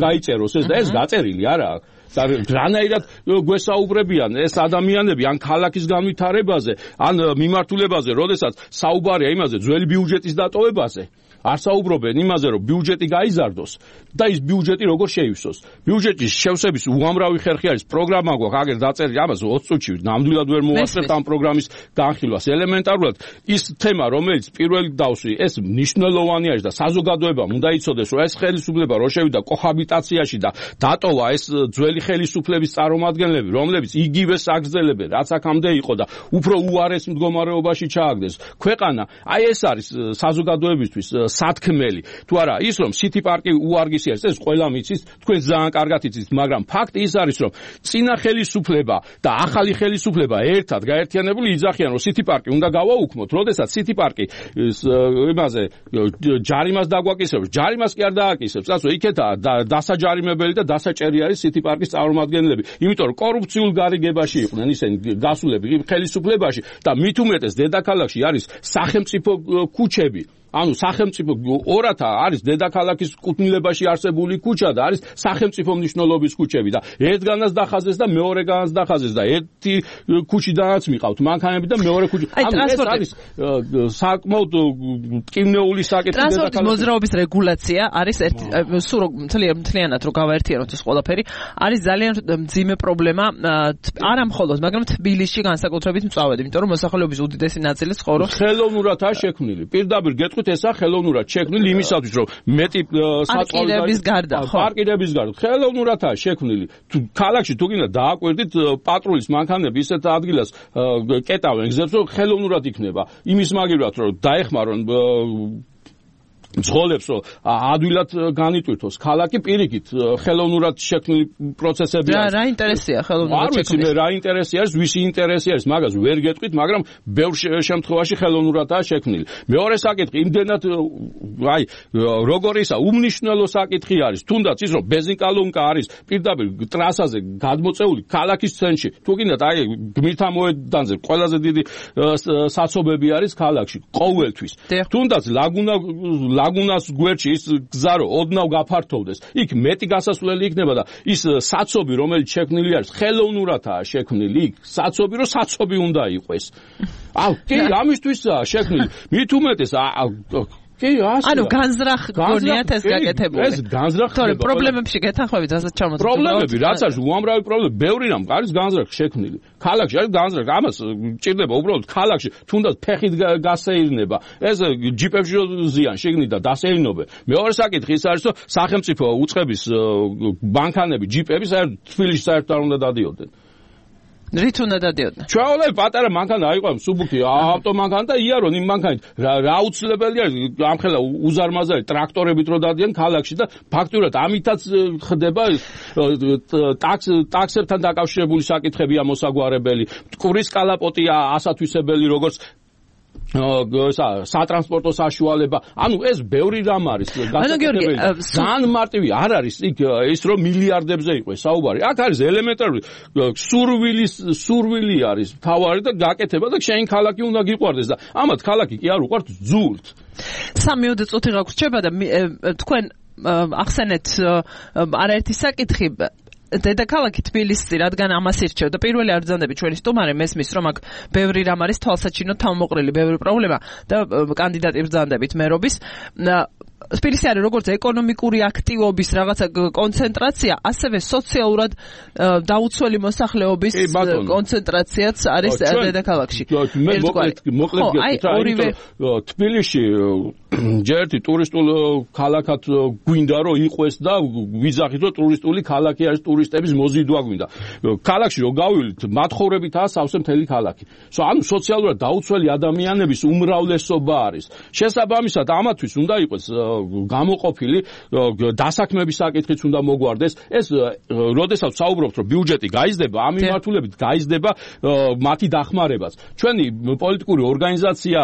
გაიწეროს ეს და ეს გაწერილი არაა და რანაირად გვესაუბრებიან ეს ადამიანები ან ქალაქის განვითარებაზე ან მიმართულებაზე როდესაც საუბარია იმაზე ძველი ბიუჯეტის დატოვებაზე არ საუბრობენ იმაზე რომ ბიუჯეტი გაიზარდოს და ის ბიუჯეტი როგორ შეივსოს ბიუჯეტის შევსების უამრავი ხერხი არის პროგრამა გვაქვს აგერ დაწერილი ამაზე ოცი წუთში ნამდვილად ვერ მოვასწრებთ ამ პროგრამის განხილვას ელემენტარულად ის თემა რომელიც პირველი დავსვი ეს მნიშვნელოვანი არის და საზოგადოებამ უნდა იცოდეს რომ ეს ხელისუფლება რო შევიდა კოჰაბიტაციაში და დატოვა ეს ძველი ხელისუფლების წარმომადგენლები რომლებიც იგივე საგრძელებენ რაც აქამდე იყო და უფრო უარეს მდგომარეობაში ჩააგდეს ქვეყანა აი ეს არის საზოგადოებისთვის სათქმელი თუ არა ის რომ City Park-ი უარგისი არის ეს ყველა მიცის თქვენ ძალიან კარგად იცით მაგრამ ფაქტი ის არის რომ წინა ხელისუფლება და ახალი ხელისუფლება ერთად გაერთიანებული იძახიან რომ City Park-ი უნდა გავაუქმოთ როდესაც City Park-ი იმაზე ჯარიმას დაგვაკისრებს ჯარიმას კი არ დააკისრებს ასე იქეთაა დასაჯარიმებელი და დასაჭერი არის City Park-ის წარმომადგენლები იმიტომ რომ კორუფციულ გარიგებაში იყვნენ ისინი გასულები ხელისუფლებაში და მით უმეტეს დედაქალაქში არის სახელმწიფო ქუჩები ანუ სახელმწიფო ორათა არის დედაქალაქის კუთვნილებაში არსებული ქუჩა და არის სახელმწიფო მნიშვნელობის ქუჩები და ერთგანაც დახაზეს და მეორეგანაც დახაზეს და ერთი ქუჩიდანაც მიყავთ მანქანები და მეორე ქუჩი. ანუ ეს არის საკმაოდ ტკივნეული საკითხი. ტრანსპორტის მოძრაობის რეგულაცია არის ერთი სულ მთლიანად რო გავაერთიანოთ ეს ყველაფერი არის ძალიან მძიმე პრობლემა არა მხოლოდ მაგრამ თბილისში განსაკუთრებით მწვავედ იმიტომ რომ მოსახლეობის უდიდესი ნაწილი ცხოვრობს ხელოვნურადაა შექმნილი. პირდაპირ გეტყვით ესა ხელოვნურად შექმნილი იმისათვის რომ მეტი საწვავების გარდა ხო პარკირების გარდა ხელოვნურადაა შექმნილი. ქალაქში თუ გინდა დააკვირდით პატრულის მანქანები ისეთ ადგილას კეტავენ გზებს რომ ხელოვნურად იქნება. იმის მაგივრად რომ დაეხმარონ მძღოლებს რომ ადვილად განიტვირთოს ქალაქი პირიქით ხელოვნურად შექმნილი პროცესები არის. რა ინტერესია ხელოვნურად შექმნილი? არ ვიცი რა ინტერესი არის, ვისი ინტერესი არის, მაგას ვერ გეტყვით, მაგრამ ბევრ შემთხვევაში ხელოვნურადაა შექმნილი. მეორე საკითხი იმდენად აი როგორ ისა უმნიშვნელო საკითხი არის, თუნდაც ის რომ ბენზინკოლონკა არის პირდაპირ ტრასაზე გადმოწეული ქალაქის ცენტრში. თუ გინდათ აი გმირთა მოედანზე ყველაზე დიდი საცობები არის ქალაქში ყოველთვის. თუნდაც ლაგუნა ლაგუნას გვერდში ის გზა რო ოდნავ გაფართოვდეს, იქ მეტი გასასვლელი იქნება და ის საცობი რომელიც შექმნილი არის, ხელოვნურადაა შექმნილი იქ. საცობი რო საცობი უნდა იყოს. აუ, კი, ამისთვისაა შექმნილი. მით უმეტეს კი, ასე. ანუ განზრახ გონიათ ეს გაკეთებული. ეს განზრახ თორე პრობლემებში გეთანხმებით, რასაც ჩამოწევთ. პრობლემები, რაც არის უამრავი პრობლემა, ბევრი რამ არის განზრახ შექმნილი. ქალაქში არის განზრახ, ამას ჭირდება უბრალოდ ქალაქში, თუნდაც ფეხით გასეირნება. ეს ჯიპებში ზიან შეგნით და დასეირნობენ. მეორე საკითხი ის არის, რომ სახელმწიფო უწყების მანქანები, ჯიპები საერთოდ თბილისში საერთოდ არ უნდა დადიოდნენ. რით უნდა დადიოდნენ? ჩვეულებრივ პატარა მანქანა აიყვან სუბუქი ავტომანქანა და იარონ იმ მანქანით რა აუცილებელი არის ამხელა უზარმაზარი ტრაქტორებით რო დადიან ქალაქში და ფაქტურად ამითაც ხდება ტაქს ტაქსებთან დაკავშირებული საკითხებია მოსაგვარებელი მტკვრის კალაპოტია ასათვისებელი როგორც სატრანსპორტო საშუალება. ანუ ეს ბევრი რამ არის გასაკეთებელი. ძალიან მარტივი არ არის იქ ის რომ მილიარდებზე იყოს საუბარი. აქ არის ელემენტარული სურვილის სურვილი არის თავარი და გაკეთება და შენ ქალაქი უნდა გიყვარდეს და ამათ ქალაქი კი არ უყვართ ძულთ. სამი წუთი გაგვრჩება და თქვენ ახსენეთ არაერთი საკითხი დედაქალაქი თბილისი, რადგან ამას ირჩევ და პირველი არ ბრძანდები ჩვენი სტუმარი მესმის რომ აქ ბევრი რამ არის თვალსაჩინო თავმოყრილი, ბევრი პრობლემა და კანდიდატი ბრძანდებით მერობის. თბილისი არის როგორც ეკონომიკური აქტივობის რაღაცა კონცენტრაცია, ასევე სოციალურად დაუცველი მოსახლეობის კონცენტრაციაც არის დედაქალაქში. მე მოკლედ მოკლედ გეტყვი, თბილისში ჯერტი ტურისტულ ქალაქად გვინდა რომ იყოს და ვიზახით რომ ტურისტული ქალაქი არის, ტურისტების მოზიდვა გვინდა. ქალაქში რო გავივლით, მათხოვრებითაა სავსე მთელი ქალაქი. ანუ სოციალურად დაუცველი ადამიანების უმრავლესობა არის. შესაბამისად ამათვის უნდა იყოს გამოყოფილი დასაქმების საკითხიც უნდა მოგვარდეს. ეს როდესაც საუბრობთ რომ ბიუჯეტი გაიზრდება, ამ მიმართულებით გაიზრდება მათი დახმარებაც. ჩვენი პოლიტიკური ორგანიზაცია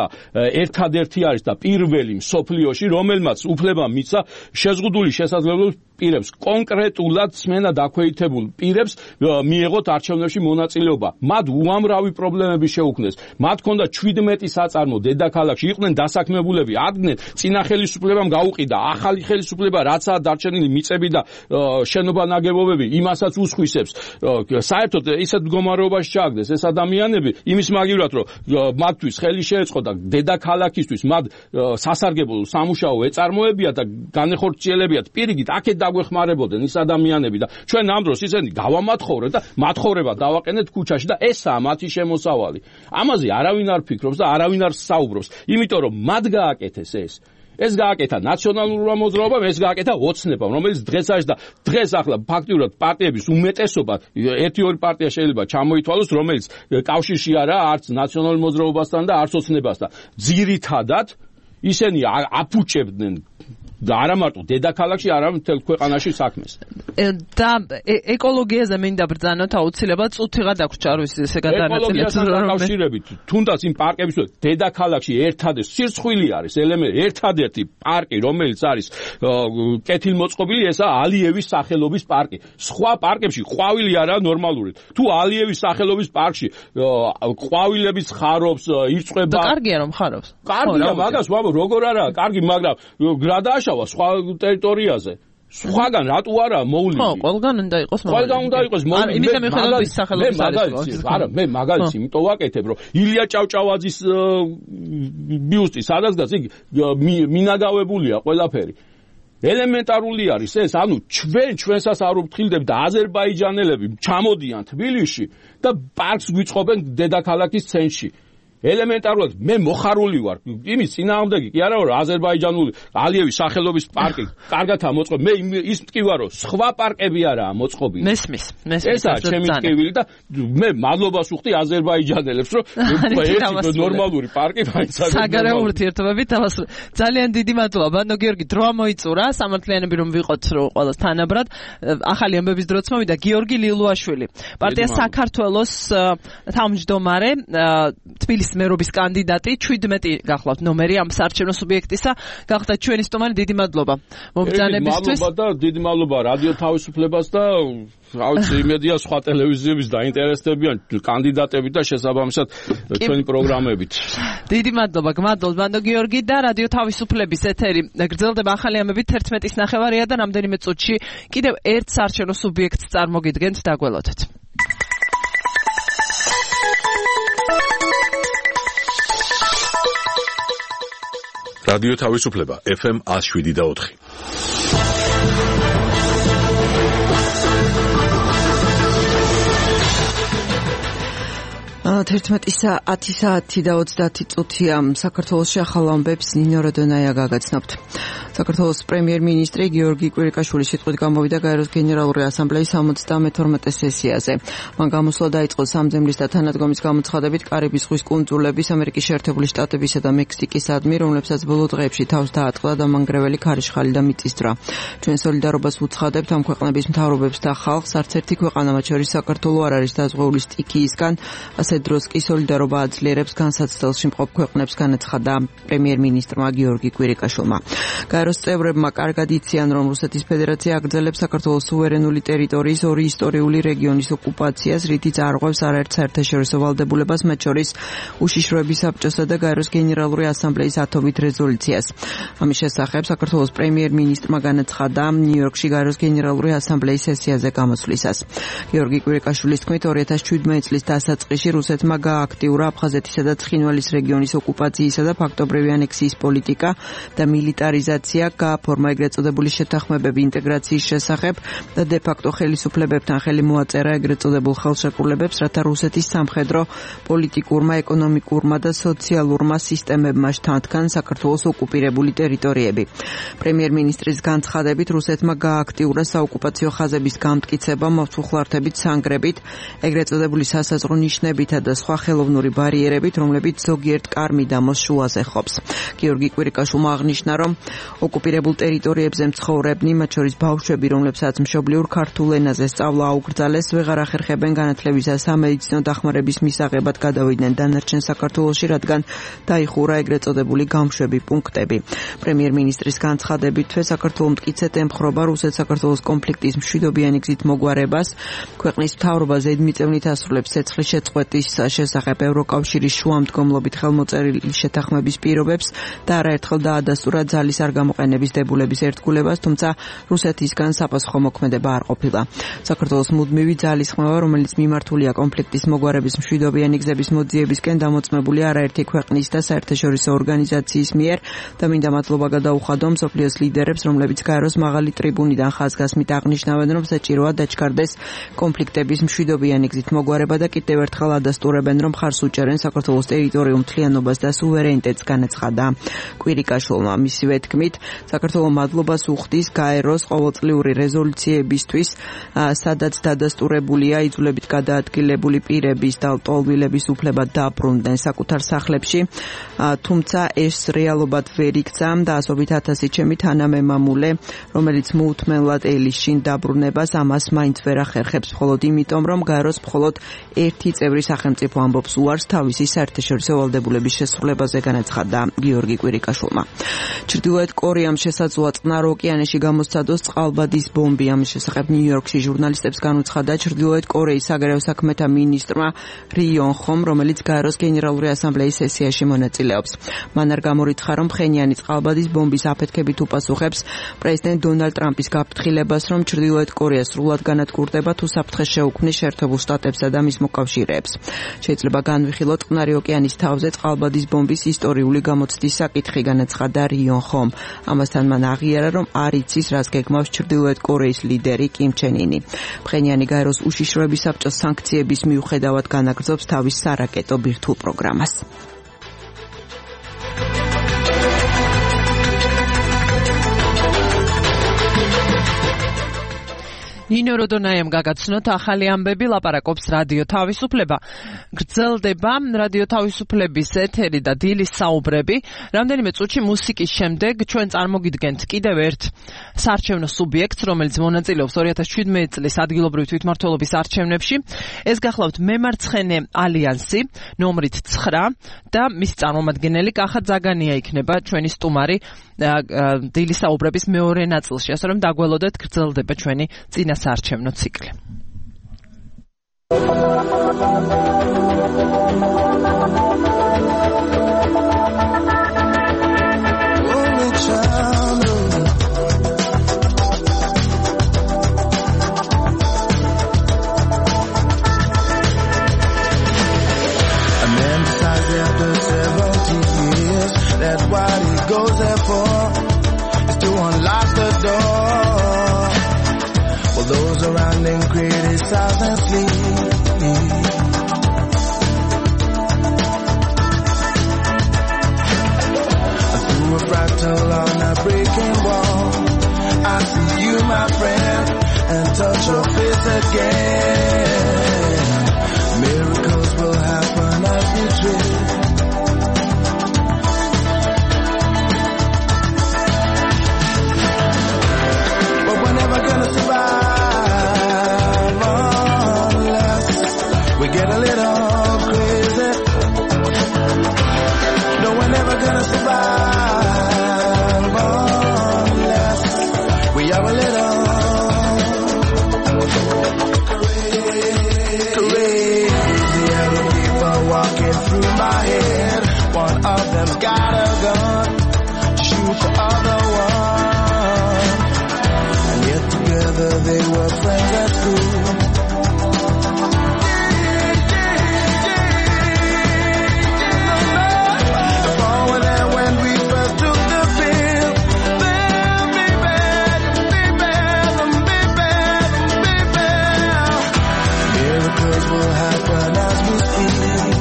ერთადერთი არის და პირველი მსოფლიოში, რომელმაც უფლება მისცა შეზღუდული შესაძლებლობის პირებს, კონკრეტულად სმენა დაქვეითებულ პირებს მიეღოთ არჩევნებში მონაწილეობა. მათ უამრავი პრობლემები შეუქმნეს. მათ ჰქონდა შვიდმეტი საწარმო დედაქალაქში, იყვნენ დასაქმებულები, ადგნენ წინა ხელისუფლებამ გაუყიდა ახალი ხელისუფლება, რაცაა დარჩენილი მიწები და შენობა ნაგებობები, იმასაც უსხვისებს. საერთოდ ისეთ მდგომარეობაში ჩააგდეს ეს ადამიანები, იმის მაგივრად რომ მათთვის ხელი შეეწყო და დედაქალაქისთვის მათ სასარგებლო სამუშაო ეწარმოებიათ და განეხორციელებიათ პირიქით აქეთ დაგვეხმარებოდნენ ის ადამიანები და ჩვენ ამ დროს ისინი გავამათხოვრეთ და მათხოვრება დავაყენეთ ქუჩაში და ესაა მათი შემოსავალი. ამაზე არავინ არ ფიქრობს და არავინ არ საუბრობს, იმიტომ რომ მათ გააკეთეს ეს. ეს გააკეთა ნაციონალურმა მოძრაობამ, ეს გააკეთა ოცნებამ, რომელიც დღეს არის და დღეს ახლა ფაქტიურად პარტიების უმეტესობა, ერთი ორი პარტია შეიძლება ჩამოითვალოს, რომელიც კავშირში არა არც ნაციონალურ მოძრაობასთან და არც ოცნებასთან. ძირითადად ისინი აფუჭებდნენ და არა მარტო დედაქალაქში, არამედ მთელ ქვეყანაში საქმეს. და ეკოლოგიაზე მინდა ბრძანოთ აუცილებლად წუთიღა დაგვრჩა არ ვიცი ესე გადანაწილეთ დაკავშირებით თუნდაც იმ პარკების დედაქალაქში ერთადერთი სირცხვილი არის ელემენტი ერთადერთი პარკი რომელიც არის კეთილმოწყობილი ესაა ალიევის სახელობის პარკი სხვა პარკებში ყვავილი არაა ნორმალური თუ ალიევის სახელობის პარკში ყვავილების ხარობს ირწყვება და კარგია რომ ხარობს კარგია მაგას ვამბობ როგორ არაა კარგი მაგრამ გრადაშავა სხვა ტერიტორიაზე სხვაგან რატო არა მოვლილი? ხო, ყველგან უნდა იყოს მოვლილი. ყველგან უნდა იყოს მოვლილი. იმიტომ მიხედავთ სახელობის არის. არა, მე მაგალითს იმიტომ ვაკეთებ, რომ ილია ჭავჭავაძის ბიუსტი სადაც დგას, იგი მინაგავებულია ყველაფერი. ელემენტარული არის ეს, ანუ ჩვენ ჩვენსაც არ ვფრთხილდებით და აზერბაიჯანელები ჩამოდიან თბილისში და პარკს გვიწყობენ დედაქალაქის ცენტრში. ელემენტარულად მე მოხარული ვარ იმის წინააღმდეგი კი არა რომ აზერბაიჯანული ალიევის სახელობის პარკი კარგათაა მოწყობილი მე ის მტკივარ რომ სხვა პარკები არაა მოწყობილი მესმის მესმის ესაა ჩემი მტკივილი და მე მადლობას ვუხდი აზერბაიჯანელებს რომ ეს ნორმალური პარკი მაინც არის საგარეო ურთიერთობებით დავასრულე ძალიან დიდი მადლობა ბანდო გიორგი დრო მოიწურა სამართლიანები რომ ვიყოთ რომ ყველას თანაბრად ახალი ამბების დროც მოვიდა გიორგი ლილუაშვილი პარტია საქართველოს თავმჯდომარე თბილისის მერობის კანდიდატი შვიდმეტი გახლავთ ნომერი ამ საარჩევნო სუბიექტისა გახდა ჩვენი სტუმარი დიდი მადლობა მომბრძანებისთვის მადლობა და დიდი მადლობა რადიო თავისუფლებას და აუცი იმედია სხვა ტელევიზიების დაინტერესდებიან კანდიდატები და შესაბამისად ჩვენი პროგრამებით დიდი მადლობა გმადლობთ ბანდო გიორგი და რადიო თავისუფლების ეთერი გრძელდება ახალი ამბებით თერთმეტის ნახევარია და რამდენიმე წუთში კიდევ ერთ საარჩევნო სუბიექტს წარმოგიდგენთ დაგველოდეთ რადიო თავისუფლება ეფ ემ one oh seven და four თერთმეტი საათი და ოცდაათი წუთია საქართველოში ახალ ამბებს ნინო როდონაია გაგაცნობთ. საქართველოს პრემიერ-მინისტრი გიორგი კვირიკაშვილი სიტყვით გამოვიდა გაეროს გენერალური ასამბლეის სამოცდამეთორმეტე სესიაზე. მან გამოსვლა დაიწყო სამძემლის და თანადგომის გამოცხადებით კარიბის ზღვის კუნძულების, ამერიკის შეერთებული შტატებისა და მექსიკისადმი, რომლებსაც ბოლო დღეებში თავს დაატყდა დამანგრეველი ქარიშხალი და მიწისძვრა. ჩვენ სოლიდარობას ვუცხადებთ ამ ქვეყნების მთავრობებს და ხალხს, არც ერთი ქვეყანა, მათ შორის საქართველო არ არის დაზღვეული სტიქიისგან, ასე დროს კი სოლიდარობა აძლიერებს განსაცდელში მყოფ ქვეყნებს განაცხადა პრემიერ-მინისტრმა გიორგი კვირიკაშვილმა. გაეროს წევრებმა კარგად იციან, რომ რუსეთის ფედერაცია აგრძელებს საქართველოს სუვერენული ტერიტორიის ორი ისტორიული რეგიონის ოკუპაციას, რითიც არღვევს არაერთ საერთაშორისო ვალდებულებას, მათ შორის უშიშროების საბჭოსა და გაეროს გენერალური ასამბლეის ათობით რეზოლუციას. ამის შესახებ საქართველოს პრემიერ-მინისტრმა განაცხადა ნიუ-იორკში გაეროს გენერალური ასამბლეის სესიაზე გამოსვლისას. გიორგი კვირიკაშვილის თქმით, ორი ათას შვიდმეტი წლის დასაწყისში რუსეთმა გააქტიურა აფხაზეთისა და ცხინვალის რეგიონის ოკუპაციისა და ფაქტობრივი ანექსიის პოლიტიკა და მილიტარიზაცია გააფორმა ეგრეთ წოდებული შეთანხმებები ინტეგრაციის შესახებ და დე ფაქტო ხელისუფლებებთან ხელი მოაწერა ეგრეთ წოდებულ ხელშეკრულებებს, რათა რუსეთის სამხედრო, პოლიტიკურმა, ეკონომიკურმა და სოციალურმა სისტემებმა შთანთქან საქართველოს ოკუპირებული ტერიტორიები. პრემიერ-მინისტრის განცხადებით რუსეთმა გააქტიურა საოკუპაციო ხაზების გამტკიცება, მოხუხლართებით, სანგრებით, ეგრეთ წოდებული სასაზღვრო ნიშნებითა და სხვა ხელოვნური ბარიერებით, რომლებიც ზოგიერთ კარ-მიდამოს შუაზე ხობს. გიორგი კვირიკაშვილმა აღნიშნა, რომ ოკუპირებულ ტერიტორიებზე მცხოვრებნი, მათ შორის ბავშვები, რომლებსაც მშობლიურ ქართულ ენაზე სწავლა აუკრძალეს, ვეღარ ახერხებენ განათლებისა სამედიცინო დახმარების მისაღებად გადავიდნენ დანარჩენ საქართველოში, რადგან დაიხურა ეგრეთ წოდებული გამშვები პუნქტები. პრემიერ-მინისტრის განცხადებით, საქართველოს მტკიცედ ემხრობა რუსეთ-საქართველოს კონფლიქტის მშვიდობიანი გზით მოგვარებას, ქვეყნის მთავრობა ზედმიწევნით ასრულებს ცეცხლის შეწყვეტის შესახებ ევროკავშირის შუამდგომლობით ხელმოწერილი შეთანხმების პირობებს და არაერთხელ დაადასტურა ძალის არ გამოყენების დებულების ერთგულებას, თუმცა რუსეთისგან საპასუხო მოქმედება არ ყოფილა. საქართველოს მუდმივი ძალის ხმევა, რომელიც მიმართულია კონფლიქტის მოგვარების მშვიდობიანი გზების მოძიებისკენ, დამოწმებული არაერთი ქვეყნის და საერთაშორისო ორგანიზაციის მიერ და მინდა მადლობა გადაუხადო მსოფლიოს ლიდერებს, რომლებიც გაეროს მაღალი ტრიბუნიდან ხაზგასმით აღნიშნავენ, რომ საჭიროა დაჩქარდეს კონფლიქტების მშვიდობიანი გზით მოგვარება და კიდევ ერთხელ ადასტურებენ, რომ მხარს უჭერენ საქართველოს ტერიტორიულ მთლიანობას და სუვერენიტეტს, განაცხადა კვირიკაშვილმა. მისივე თქმით, საქართველოს მადლობას უხდის გაეროს ყოველწლიური რეზოლუციებისთვის, სადაც დადასტურებულია იძულებით გადაადგილებული პირების და ლტოლვილების უფლება დაბრუნდნენ საკუთარ სახლებში, თუმცა ეს რეალობად ვერ იქცა და ასობით ათასი ჩემი თანამემამულე, რომელიც მოუთმენლად ელის შინ დაბრუნებას, ამას მაინც ვერ ახერხებს, მხოლოდ იმიტომ, რომ გაეროს მხოლოდ ერთი წევრი სახელმწიფო ამბობს უარს თავისი საერთაშორისო ვალდებულების შესრულებაზე, განაცხადა გიორგი კვირიკაშვილმა. ჩრდილოეთ კორეამ შესაძლოა წყნარ ოკეანეში გამოსცადოს წყალბადის ბომბი. ამის შესახებ ნიუ-იორკში ჟურნალისტებს განუცხადა ჩრდილოეთ კორეის საგარეო საქმეთა მინისტრმა რი იონ ხომ, რომელიც გაეროს გენერალური ასამბლეის სესიაში მონაწილეობს. მან არ გამორიცხა, რომ ფხენიანი წყალბადის ბომბის აფეთქებით უპასუხებს პრეზიდენტ დონალდ ტრამპის გაფრთხილებას, რომ ჩრდილოეთ კორეა სრულად განადგურდება თუ საფრთხეს შეუქმნის შეერთებულ შტატებსა და მის მოკავშირეებს. შეიძლება განვიხილოთ წყნარი ოკეანის თავზე წყალბადის ბომბის ისტორიული გამოცდის საკითხი, განაცხადა რი იონ ხომ. ამასთან მან აღიარა, რომ არ იცის, რას გეგმავს ჩრდილოეთ კორეის ლიდერი კიმ ჩენ ინი. ფხენიანი გაეროს უშიშროების საბჭოს სანქციების მიუხედავად განაგრძობს თავის სარაკეტო ბირთვულ პროგრამას. ნინო როდონაიამ გაგაცნოთ ახალი ამბები, ლაპარაკობს რადიო თავისუფლება. გრძელდება რადიო თავისუფლების ეთერი და დილის საუბრები. რამდენიმე წუთში მუსიკის შემდეგ ჩვენ წარმოგიდგენთ კიდევ ერთ საარჩევნო სუბიექტს, რომელიც მონაწილეობს ორი ათას შვიდმეტი წლის ადგილობრივი თვითმმართველობის არჩევნებში. ეს გახლავთ მემარცხენე ალიანსი, ნომრით ცხრა და მისი წარმომადგენელი კახა ძაგანია იქნება ჩვენი სტუმარი დილის საუბრების მეორე ნაწილში, ასე რომ დაგველოდეთ, გრძელდება ჩვენი წინა საარჩევნო ციკლი. That's what he goes there for, is to unlock the door. Well, those around him criticize and sleep. Through a fractal on a breaking wall, I see you, my friend, and touch your face again. Miracles will happen as we drift. Gonna survive unless we get a little crazy. No, we're never gonna survive unless we are a little crazy. Other people walking through my head. One of them's got a gun, shoot the other one. They were friends at school. Forward there when we first took the field. They'll be bad, be bad, be bad, be bad. Miracles will happen as we speak.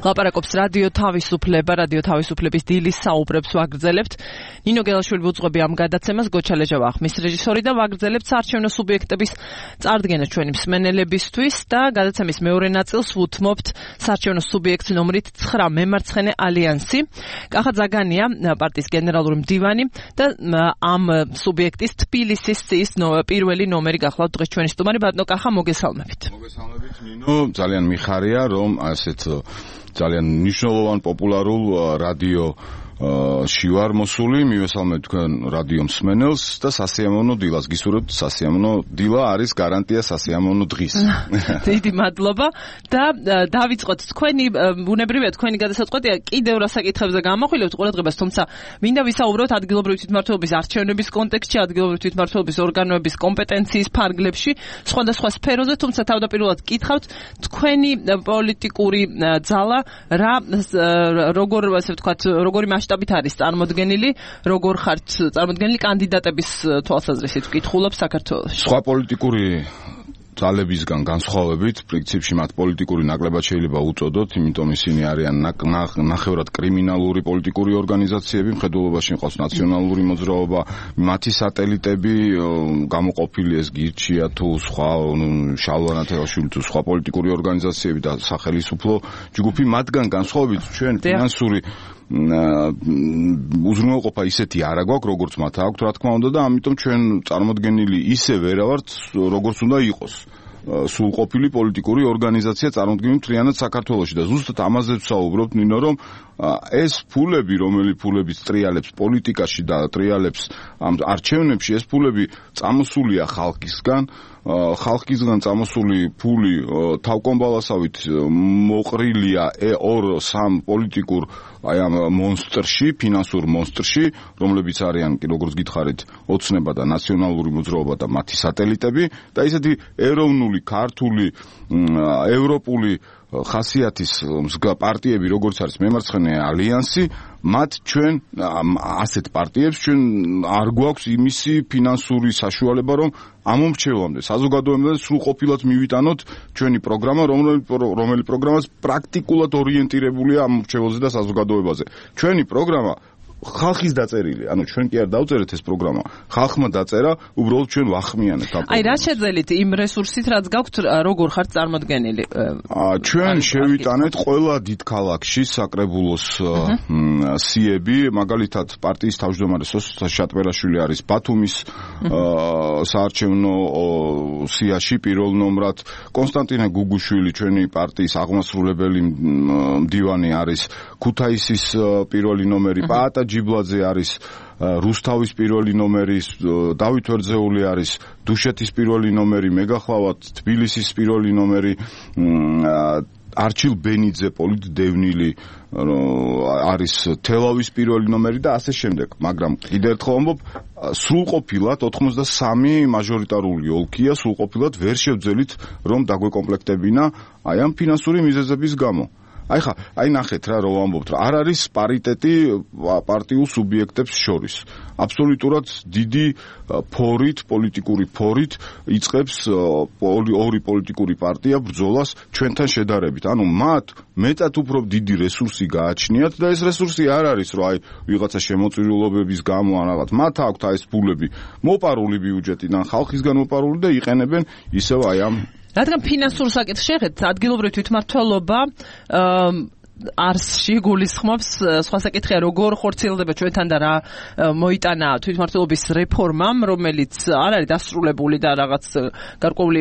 ლაპარაკობს რადიო თავისუფლება, რადიო თავისუფლების დილის საუბრებს ვაგრძელებთ. ნინო გელაშვილი უძღვები ამ გადაცემას, გოჩა ლეჟავა ახმის რეჟისორი და ვაგრძელებთ საარჩევნო სუბიექტების წარდგენას ჩვენი მსმენელებისთვის და გადაცემის მეორე ნაწილს ვუთმობთ საარჩევნო სუბიექტ ნომრით ცხრა მემარცხენე ალიანსი. კახა ზაგანია, პარტიის გენერალური მდივანი და ამ სუბიექტის თბილისის სიის პირველი ნომერი გახლავთ დღეს ჩვენი სტუმარი. ბატონო კახა, მოგესალმებით. მოგესალმებით ნინო, ძალიან მიხარია რომ ასეთ ძალიან მნიშვნელოვან პოპულარულ რადიო ში ვარ მოსული, მივესალმებ თქვენ რადიო მსმენელს და სასიამოვნო დილას გისურვებთ. სასიამოვნო დილა არის გარანტია სასიამოვნო დღის. დიდი მადლობა და დავიწყოთ თქვენი ბუნებრივია თქვენი გადასაწყვეტია კიდევ რა საკითხებზე გამოხვილებთ ყურადღებას, თუმცა მინდა ვისაუბროთ ადგილობრივი თვითმმართველობის არჩევნების კონტექსტში, ადგილობრივი თვითმმართველობის ორგანოების კომპეტენციის ფარგლებში, სხვადასხვა სფეროზე, თუმცა თავდაპირველად გითხავთ თქვენი პოლიტიკური ძალა რა როგორ ასე ვთქვათ, როგორი მასშტაბით არის წარმოდგენილი, როგორ ხართ წარმოდგენილი კანდიდატების თვალსაზრისით ვკითხულობ საქართველოში. სხვა პოლიტიკური ძალებისგან განსხვავებით, პრინციპში მათ პოლიტიკური ნაკლებად შეიძლება უწოდოთ, იმიტომ ისინი არიან ნახევრად კრიმინალური პოლიტიკური ორგანიზაციები, მხედველობაში ყავს ნაციონალური მოძრაობა, მათი სატელიტები გამოყოფილი ეს გირჩია თუ სხვა შალვა ნათელაშვილი თუ სხვა პოლიტიკური ორგანიზაციები და სახელმწიფო ჯგუფი, მათგან განსხვავებით ჩვენ ფინანსური უზრუნველყოფა ისეთი არა გვაქვს, როგორც მათ აქვთ, რა თქმა უნდა და ამიტომ ჩვენ წარმოდგენილი ისე ვერა ვართ, როგორც უნდა იყოს. სრულყოფილი პოლიტიკური ორგანიზაცია წარმოდგენილი მთლიანად საქართველოში და ზუსტად ამაზე ვსაუბრობთ ნინო, რომ ეს ფულები, რომელი ფულების ტრიალებს პოლიტიკაში და ტრიალებს ამ არჩევნებში, ეს ფულები წამოსულია ხალხისგან, ხალხისგან წამოსული ფული თავკომბალასავით მოყრილია ორ სამ პოლიტიკურ აი ამ მონსტრში, ფინანსურ მონსტრში, რომლებიც არიან, როგორც გითხარით, ოცნება და ნაციონალური მოძრაობა და მათი სატელიტები და ისეთი ეროვნული, ქართული, ევროპული ხასიათის პარტიები, როგორც არის მემარცხენე ალიანსი, მათ ჩვენ ასეთ პარტიებს ჩვენ არ გვაქვს იმისი ფინანსური საშუალება, რომ ამომრჩევლამდე საზოგადოებამდე სრულყოფილად მივიტანოთ ჩვენი პროგრამა, რომელი პროგრამაც პრაქტიკულად ორიენტირებულია ამომრჩევლზე და საზოგადოებაზე. ჩვენი პროგრამა ხალხის დაწერილი, ანუ ჩვენ კი არ დავწერეთ ეს პროგრამა, ხალხმა დაწერა, უბრალოდ ჩვენ ვახმიანეთ ამ პროგრამას. აი რა შეძელით იმ რესურსით, რაც გაქვთ, როგორ ხართ წარმოდგენილი? ჩვენ შევიტანეთ ყველა დიდ ქალაქში საკრებულოს სიები, მაგალითად პარტიის თავმჯდომარე სოსთა შატბერაშვილი არის ბათუმის საარჩევნო სიაში პირველ ნომრად, კონსტანტინე გუგუშვილი ჩვენი პარტიის აღმასრულებელი მდივანი არის ქუთაისის პირველი ნომერი, პაატა ჯიბლაძე არის რუსთავის პირველი ნომერი, დავით ვერძეული არის დუშეთის პირველი ნომერი, მე გახლავთ თბილისის პირველი ნომერი, არჩილ ბენიძე პოლიტდევნილი არის თელავის პირველი ნომერი და ასე შემდეგ. მაგრამ კიდევ ერთხელ ვამბობ, სრულყოფილად ოთხმოცდასამი მაჟორიტარული ოლქია, სრულყოფილად ვერ შევძელით რომ დაგვეკომპლექტებინა აი ამ ფინანსური მიზეზების გამო. აი ხა, აი ნახეთ რა, რომ ვამბობთ, რა არ არის პარიტეტი პარტიულ სუბიექტებს შორის. აბსოლუტურად დიდი ფორით, პოლიტიკური ფორით იწყებს ორი პოლიტიკური პარტია ბრძოლას ჩვენთან შედარებით. ანუ მათ მეტად უფრო დიდი რესურსი გააჩნიათ და ეს რესურსი არ არის, რომ აი ვიღაცა შემოწირულობების გამო ან რაღაც. მათ აქვთ აი ეს ფულები მოპარული ბიუჯეტიდან, ხალხისგან მოპარული და იყენებენ ისევ აი ამ რადგან ფინანსურ საკითხს შეხედეთ, ადგილობრივი თვითმმართველობა არსში გულისხმობს, სხვა საკითხია როგორ ხორციელდება ჩვენთან და რა მოიტანა თვითმმართველობის რეფორმამ, რომელიც არ არის დასრულებული და რაღაც გარკვეული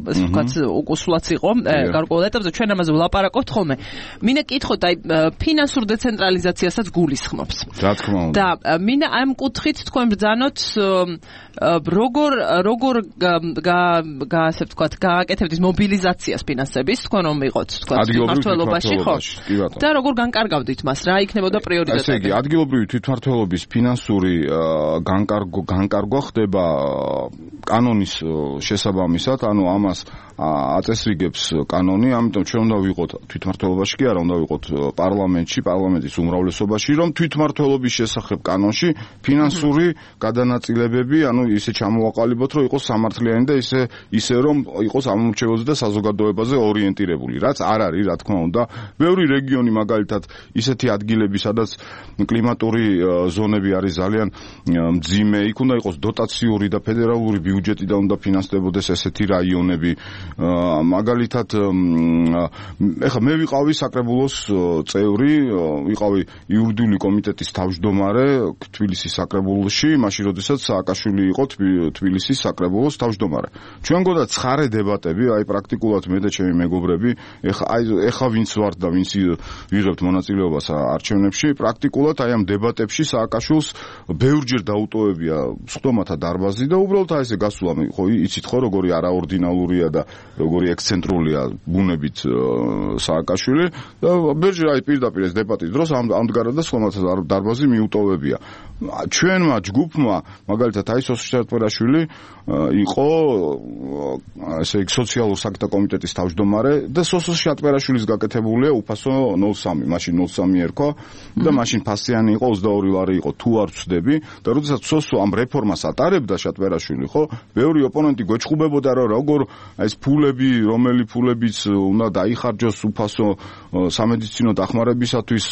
ასე ვთქვათ უკუსლაც იყო გარკვეულ ეტაპზე, ჩვენ ამაზე ვლაპარაკობთ ხოლმე. მინდა კითხოთ, აი ფინანსურ დეცენტრალიზაციასაც გულისხმობს. რა თქმა უნდა. და მინდა ამ კუთხით თქვენ ბრძანოთ როგორ როგორ ასე ვთქვათ გააკეთებთ ის მობილიზაციას ფინანსების, თქვენ რომ იყოთ თქვათ თვითმმართველობაში, ხო? და როგორ განკარგავდით მას, რა იქნებოდა პრიორიტეტები? ესე იგი, ადგილობრივი თვითმმართველობის ფინანსური განკარგვა ხდება კანონის შესაბამისად, ანუ ამას აწესრიგებს კანონი, ამიტომ ჩვენ უნდა ვიყოთ თვითმმართველობაში კი არა, უნდა ვიყოთ პარლამენტში, პარლამენტის უმრავლესობაში, რომ თვითმმართველობის შესახებ კანონში ფინანსური გადანაწილებები, ანუ ისე ჩამოვაყალიბოთ, რომ იყოს სამართლიანი და ისე ისე რომ იყოს ამომრჩეველზე და საზოგადოებაზე ორიენტირებული, რაც არ არის, რა თქმა უნდა. ბევრი რეგიონი მაგალითად ისეთი ადგილები, სადაც კლიმატური ზონები არის ძალიან მძიმე, იქ უნდა იყოს დოტაციური და ფედერალური ბიუჯეტიდან უნდა ფინანსდებოდეს ესეთი რაიონები. მაგალითად, ეხლა მე ვიყავი საკრებულოს წევრი, ვიყავი იურიდიული კომიტეტის თავმჯდომარე თბილისის საკრებულოში, მაშინ როდესაც სააკაშვილი იყო თბილისის საკრებულოს თავმჯდომარე. ჩვენ გქონდა ცხარე დებატები, აი პრაქტიკულად მე და ჩემი მეგობრები, ეხლა აი ეხლა ვინც ვართ და ვინც ვიღებთ მონაწილეობას არჩევნებში, პრაქტიკულად აი ამ დებატებში სააკაშვილს ბევრჯერ დაუტოვებია სხდომათა დარბაზი და უბრალოდ აი ესე გასულა, ხო იცით ხო როგორი არაორდინალურია და როგორი ექსცენტრულია ბუნებით სააკაშვილი და ბევრჯერ აი პირდაპირ ეს დებატის დროს ამდღარა და სხდომათა დარბაზი მიუტოვებია. ჩვენმა ჯგუფმა მაგალითად აი სოსიალ-დემოკრატიშვილი იყო ესე იგი სოციალურ საკითხთა კომიტეტის თავმჯდომარე და სოსო შატბერაშვილის გაკეთებულია უფასო ნოლ სამი, მაშინ ნოლ სამი ერქვა და მაშინ ფასიანი იყო ოცდაორი ლარი იყო თუ არ ვცდები და როდესაც სოსო ამ რეფორმას ატარებდა შატბერაშვილი, ხო, ბევრი ოპონენტი გვეჭხუბებოდა რომ როგორ ეს ფულები, რომელი ფულებიც უნდა დაიხარჯოს უფასო სამედიცინო დახმარებისათვის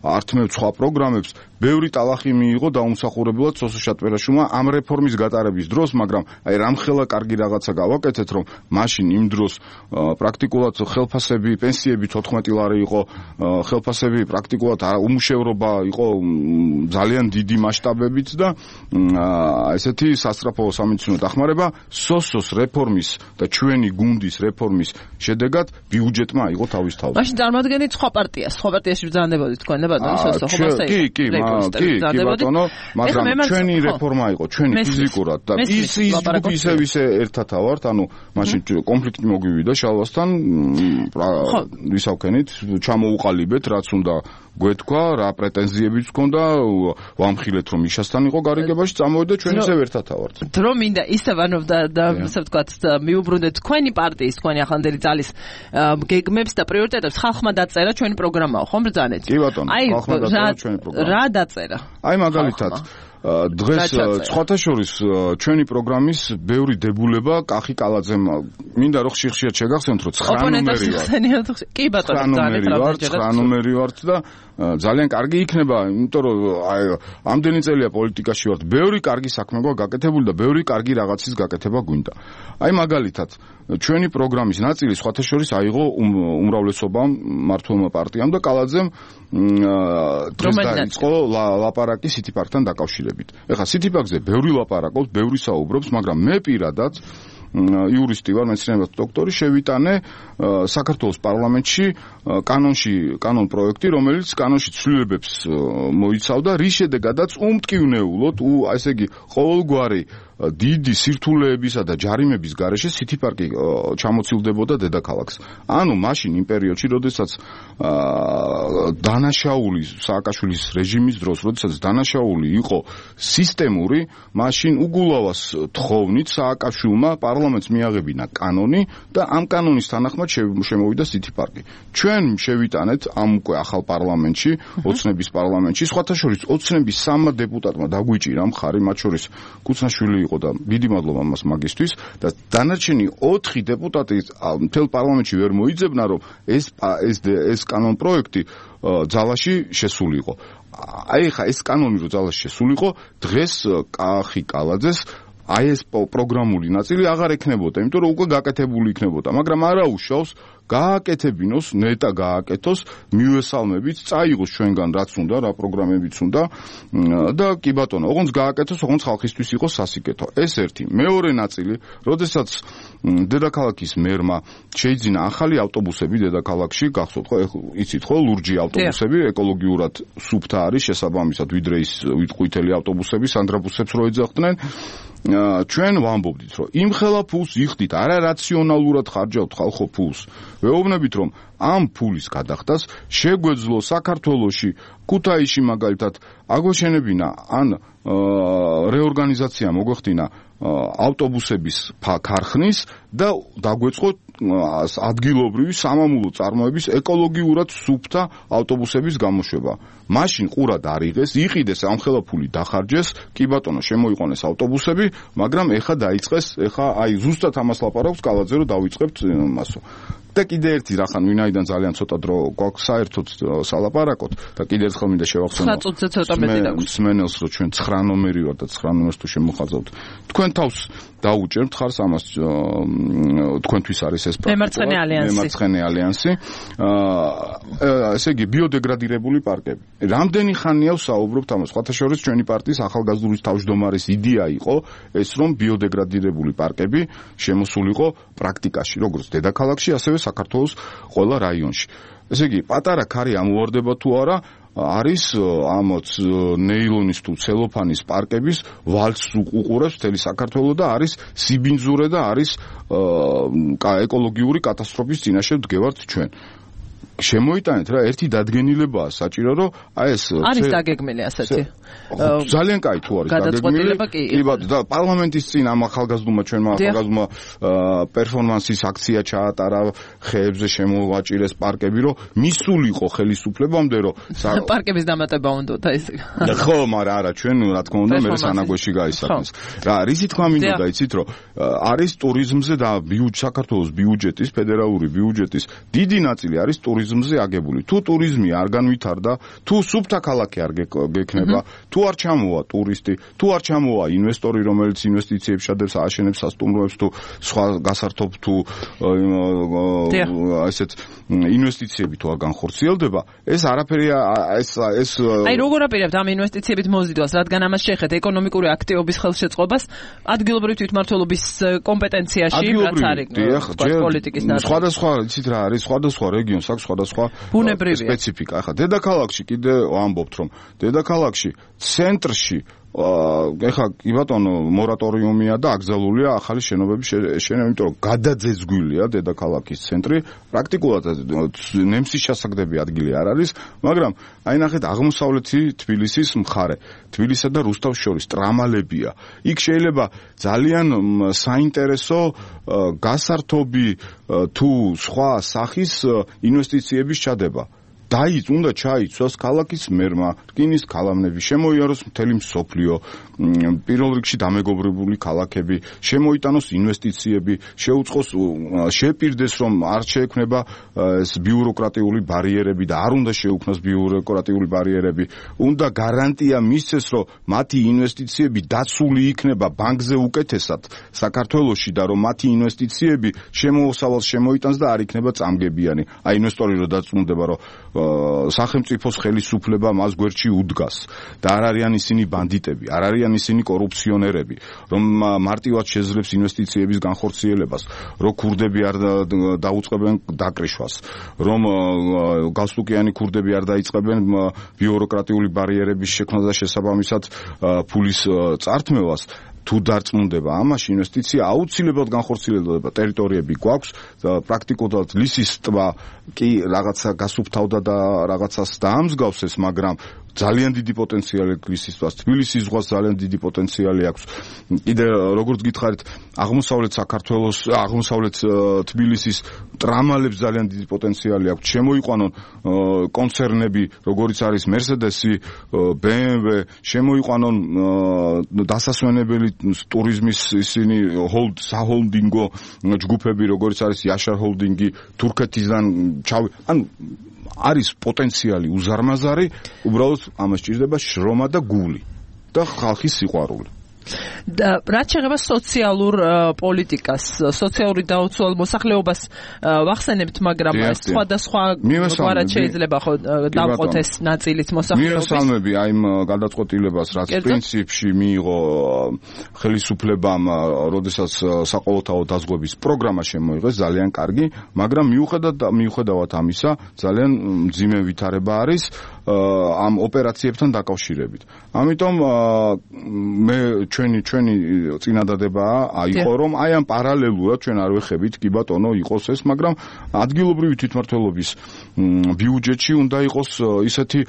ართმევ სხვა პროგრამებს, ბევრი ტალახი მიიღო დაუმსახურებლად სოსო შატბერაშვილმა ამ რეფორმის გატარების დროს, მაგრამ აი რამხელა კარგი რაღაცა გავაკეთეთ, რომ მაშინ იმ დროს პრაქტიკულად ხელფასები, პენსიები თოთხმეტი ლარი იყო, ხელფასები პრაქტიკულად უმუშევრობა იყო ძალიან დიდი მასშტაბებით და ესეთი სასწრაფო სამედიცინო დახმარება სოსოს რეფორმის და ჩვენი გუნდის რეფორმის შედეგად ბიუჯეტმა აიღო თავის თავზე. მაშინ წარმოადგენთ სხვა პარტიას, სხვა პარტიაში ბრძანდებოდით თქვენ და ბატონო სოსო, ხო მასე? კი, კი, კი, კი ბატონო, მაგრამ ჩვენი რეფორმა იყო, ჩვენი ფიზიკურად და ის ის ისე ისე ერთათა ვართ, ანუ მაშინ კონფლიქტი მოგვივიდა შალვასთან, ვისავქენით, ჩამოუყალიბეთ, რაც უნდა გვეთქვა, რა პრეტენზიებიც გქონდა, ვამხილეთ რომ იშასთან იყო გარიგებაში, წამოვიდა ჩვენ ისე ერთათა ვართ. დრო მინდა ისე ანუ და ასე ვთქვათ, მიუბრუნდეთ თქვენი პარტიის, თქვენი ახლანდელი ძალის გეგმებს და პრიორიტეტებს ხალხმა დაწერა ჩვენი პროგრამაო, ხომ ბრძანეთ? კი ბატონო, ხალხმა დაწერა ჩვენი პროგრამა. რა დაწერა? აი მაგალითად დღეს სხვათა შორის ჩვენი პროგრამის ბევრი დებულება კახი კალაძემ მინდა რომ ხშირ-ხშირ შეგახსენოთ რომ ცხრა ნომერი ვარ. კი ბატონო, ცხრა ნომერი ვართ და ძალიან კარგი იქნება, იმიტომ რომ აი ამდენი წელია პოლიტიკაში ვართ, ბევრი კარგი საქმე გვაქვს გაკეთებული და ბევრი კარგი რაღაცის გაკეთება გვინდა. აი მაგალითად ჩვენი პროგრამის ნაწილი სხვათა შორის აიღო უმრავლესობამ მართლმა პარტიამ და კალაძემ დღეს დაიწყო ლაპარაკი სიტიპაკთან დაკავშირებით. ეხლა სიტიპაკზე ბევრი ლაპარაკობს, ბევრი საუბრობს, მაგრამ მე პირადად იურისტი ვარ, მეცნიერებათა დოქტორი, შევიტანე საქართველოს პარლამენტში კანონში კანონ პროექტი, რომელიც კანონში ცვლილებებს მოიცავდა, რის შედეგადაც უმტკივნეულოდ, ესე იგი ყოველგვარი დიდი სირთულეებისა და ჯარიმების გარეშე სიტი პარკი ჩამოცილდებოდა დედაქალაქს. ანუ მაშინ იმ პერიოდში, როდესაც დანაშაული სააკაშვილის რეჟიმის დროს, როდესაც დანაშაული იყო სისტემური, მაშინ უგულავას თხოვნით სააკაშვილმა პარლამენტს მიაღებინა კანონი და ამ კანონის თანახმად შემოვიდა სიტი პარკი. ჩვენ შევიტანეთ ამ უკვე ახალ პარლამენტში, ოცნების პარლამენტში, სხვათა შორის ოცნების სამმა დეპუტატმა დაგვიჭირა მხარი, მათ შორის კუცნაშვილი იყო და დიდი მადლობა მას მაგისთვის და დანარჩენი ოთხი დეპუტატი მთელ პარლამენტში ვერ მოიძებნა რომ ეს ეს ეს კანონ პროექტი ძალაში შესულიყო. აი ხა ეს კანონი რო ძალაში შესულიყო, დღეს კახი კალაძეს აი ეს პროგრამული ნაწილი აღარ ექნებოდა, იმიტომ რომ უკვე გაკეთებული იქნებოდა, მაგრამ არა უშავს გააკეთებინოს, ნეტა გააკეთოს, მივესალმებით, წაიღოს ჩვენგან რაც უნდა, რა პროგრამებიც უნდა და კი ბატონო, ოღონდ გააკეთოს, ოღონდ ხალხისთვის იყოს სასიკეთო. ეს ერთი. მეორე ნაწილი, როდესაც დედაქალაქის მერმა შეიძინა ახალი ავტობუსები დედაქალაქში, გახსოვთ ხო, იცით ხო, ლურჯი ავტობუსები, ეკოლოგიურად სუფთა არის შესაბამისად, ვიდრე ის ყვითელი ავტობუსები, სანდრაბუსებს რო ეძახდნენ. ჩვენ ვამბობდით, რომ იმ ხელა ფულს იხდით, არა რაციონალურად ხარჯავთ ხალხო ფულს. ვეუბნებით, რომ ამ ფულის გადახდას შეგვეძლო საქართველოში ქუთაისში მაგალითად აგვეშენებინა ან რეორგანიზაცია მოგვეხდინა ავტობუსების ქარხნის და დაგვეწყო ადგილობრივი სამამულო წარმოების ეკოლოგიურად სუფთა ავტობუსების გამოშვება. მაშინ ყურად არიღეს, იყიდეს ამხელა ფული დახარჯეს, კი ბატონო, შემოიყვანეს ავტობუსები, მაგრამ ეხა დაიწყეს, ეხა აი ზუსტად ამას ლაპარაკობს კალაძე, რომ დავიწყებთ მასო. და კიდე ერთი რახან ვინაიდან ძალიან ცოტა დრო გვაქვს საერთოდ სალაპარაკოთ და კიდე ერთხელ მინდა შევახსენო. ცხრა წუთზე ცოტა მეტი დაგვს. სმენელს რომ ჩვენ ცხრა ნომერი ვარ და ცხრა ნომერს თუ შემოხაზავთ. თქვენ თავს დაუჭერთ ხარს ამას თქვენთვის არის ეს პრაქტიკა. მემარცხენე ალიანსი. მემარცხენე ალიანსი. აა ესე იგი ბიოდეგრადირებული პარკები. რამდენი ხანია ვსაუბრობთ ამას? სხვათა შორის ჩვენი პარტიის ახალგაზრდული თავმჯდომარის იდეა იყო ეს რომ ბიოდეგრადირებული პარკები შემოსულიყო პრაქტიკაში, როგორც დედაქალაქში, ასევე საქართველოს ყველა რაიონში. ესე იგი, პატარა ქარი ამოვარდება თუ არა, არის ამოც ნეილონის თუ ცელოფანის პარკების ვალცს უყურებს მთელი საქართველო და არის სიბინძურე და არის ეკოლოგიური კატასტროფის წინაშე ვდგევართ ჩვენ. შემოიტანეთ რა, ერთი დადგენილებაა საჭირო, რომ აი ეს არის დაგეგმილი ასეთი. ძალიან კაი თუ არის დაგეგმილი. კი ბატონო, და პარლამენტის წინ ამ ახალგაზრდულმა ჩვენმა ახალგაზრდულმა პერფორმანსის აქცია ჩაატარა, ხეებზე შემოვაჭირეს პარკები, რომ მისულიყო ხელისუფლებამდე, რომ პარკების დამატება უნდოდა ეს. ხო, მაგრამ არა, ჩვენ რა თქმა უნდა მე სანაგვეში გაისახეს. რა, რისი თქმა მინდოდა იცით, რომ არის ტურიზმზე და საქართველოს ბიუჯეტის, ფედერალური ბიუჯეტის დიდი ნაწილი არის ტურიზმზე აგებული. თუ ტურიზმი არ განვითარდა, თუ სუფთა ქალაქი არ გექნება, თუ არ ჩამოვა ტურისტი, თუ არ ჩამოვა ინვესტორი, რომელიც ინვესტიციებს შადებს, ააშენებს სასტუმროებს, თუ სხვა გასართობ თუ ასეთ ინვესტიციები თუ არ განხორციელდება, ეს არაფერი ეს ეს აი როგორ აპირებთ ამ ინვესტიციებით მოზიდვას, რადგან ამას შეეხეთ ეკონომიკური აქტივობის ხელშეწყობას ადგილობრივი თვითმმართველობის კომპეტენციაში, რაც არის პოლიტიკის ნაწილი. სხვადასხვა იცით რა არის, სხვადასხვა რეგიონს აქვს სხვადასხვა სპეციფიკა. ახლა დედაქალაქში კიდე ვამბობთ, რომ დედაქალაქში ცენტრში ეხლა კი ბატონო მორატორიუმია და აკრძალულია ახალი შენობების შენება, იმიტომ რომ გადაძეძგვილია დედაქალაქის ცენტრი, პრაქტიკულად ნემსის შესაგდები ადგილი არ არის, მაგრამ აი ნახეთ აღმოსავლეთი თბილისის მხარე, თბილისსა და რუსთავს შორის ტრამალებია. იქ შეიძლება ძალიან საინტერესო გასართობი თუ სხვა სახის ინვესტიციების ჩადება. დაიც უნდა ჩაიცვას ქალაქის მერმა, რკინის ქალამნები, შემოიაროს მთელი მსოფლიო, პირველ რიგში დამეგობრებული ქალაქები, შემოიტანოს ინვესტიციები, შეუწყოს, შეპირდეს, რომ არ შეექმნება ეს ბიუროკრატიული ბარიერები და არ უნდა შეუქმნას ბიუროკრატიული ბარიერები. უნდა გარანტია მისცეს, რომ მათი ინვესტიციები დაცული იქნება ბანკზე უკეთესად საქართველოში და რომ მათი ინვესტიციები შემოუსავალს შემოიტანს და არ იქნება წამგებიანი. აი ინვესტორი რო დაწუნდება, რომ სახელმწიფოს ხელისუფლება მას გვერდში უდგას და არ არიან ისინი ბანდიტები, არ არიან ისინი კორუფციონერები, რომ მარტივად შეძლებს ინვესტიციების განხორციელებას, რომ ქურდები არ დაუწყებენ დაკრიშვას, რომ გასტუკიანი ქურდები არ დაიწყებენ ბიუროკრატიული ბარიერების შექმნას და შესაბამისად ფულის წართმევას. თუ დარწმუნდება ამაში ინვესტიცია აუცილებლად განხორციელდება, ტერიტორიები გვაქვს, პრაქტიკულად ლისის ტბა კი რაღაცა გასუფთავდა და რაღაცას დაამსგავსეს, მაგრამ ძალიან დიდი პოტენციალი ლისის ტბას, თბილისის ზღვას ძალიან დიდი პოტენციალი აქვს. კიდე როგორც გითხარით, აღმოსავლეთ საქართველოს, აღმოსავლეთ თბილისის ტრამალებს ძალიან დიდი პოტენციალი აქვს. შემოიყვანონ კონცერნები, როგორც არის Mercedes-ი, B M W, შემოიყვანონ დასასვენებელი ტურიზმის ისინი ჰოლდ საჰოლდინგო ჯგუფები, როგორც არის Yashar ჰოლდინგი, თურქეთიდან ჩავი, ანუ არის პოტენციალი უზარმაზარი, უბრალოდ ამას სჭირდება შრომა და გული და ხალხის სიყვარული. და რაც შეეხება სოციალურ პოლიტიკას, სოციალური დაუცველ მოსახლეობას ვახსენებთ, მაგრამ სხვადასხვა გვარად შეიძლება ხო დავყოთ ეს ნაწილიც მოსახლეობის. მივესალმები აი იმ გადაწყვეტილებას, რაც პრინციპში მიიღო ხელისუფლებამ, როდესაც საყოველთაო დაზღვების პროგრამა შემოიღეს, ძალიან კარგი, მაგრამ მიუხედავად მიუხედავად ამისა, ძალიან მძიმე ვითარება არის. ამ ოპერაციებთან დაკავშირებით. ამიტომ მე ჩვენი ჩვენი წინადადებაა აიყო რომ აი ამ პარალელურად ჩვენ არ ვეხებით კი ბატონო იყოს ეს, მაგრამ ადგილობრივი თვითმმართველობის ბიუჯეტში უნდა იყოს ისეთი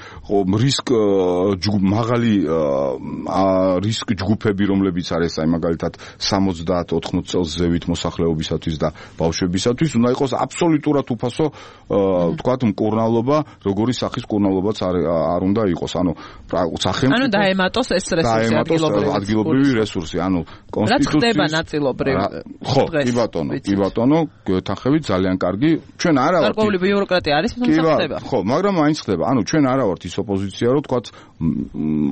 რისკ მაღალი რისკ ჯგუფები, რომლებიც არის აი მაგალითად სამოცდაათ ოთხმოც წელს ზევით მოსახლეობისათვის და ბავშვებისათვის, უნდა იყოს აბსოლუტურად უფასო თქვათ მკურნალობა, როგორი სახის მკურნალობაც არ არ უნდა იყოს. ანუ სახელმწიფო ანუ დაემატოს ეს რესურსი ადგილობრივი რესურსი, ანუ კონსტიტუციის რაც ხდება ნაწილობრივ. ხო, კი ბატონო, კი ბატონო, გეთანხმებით, ძალიან კარგი. ჩვენ არა ვართ გარკვეული ბიუროკრატია არის, თუმცა ხდება. ხო, მაგრამ მაინც ხდება. ანუ ჩვენ არა ვართ ის ოპოზიცია, რომ თქვათ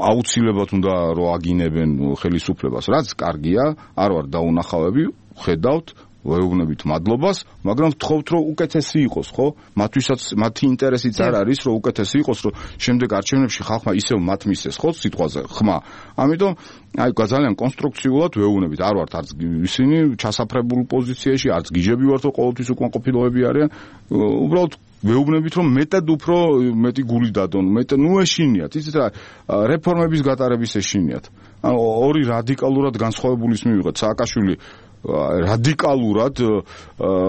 აუცილებლად უნდა რო აგინებენ ხელისუფლებას. რაც კარგია, არ ვარ დაუნახავები, ხედავთ ვეუბნებით მადლობას, მაგრამ ვთხოვთ რომ უკეთესი იყოს, ხო? მათთვისაც მათი ინტერესიც არ არის რომ უკეთესი იყოს, რომ შემდეგ არჩევნებში ხალხმა ისევ მათ მისცეს, ხო, სიტყვაზე ხმა. ამიტომ აი ძალიან კონსტრუქციულად ვეუბნებით, არ ვართ არც ისინი ჩასაფრებულ პოზიციაში, არც გიჟები ვართ, რომ ყოველთვის უკმაყოფილოები არიან. უბრალოდ ვეუბნებით რომ მეტად უფრო მეტი გული დადონ, მეტ ნუ ეშინიათ, იცით რა, რეფორმების გატარების ეშინიათ. ანუ ორი რადიკალურად განსხვავებული ის მივიღეთ. სააკაშვილი რადიკალურად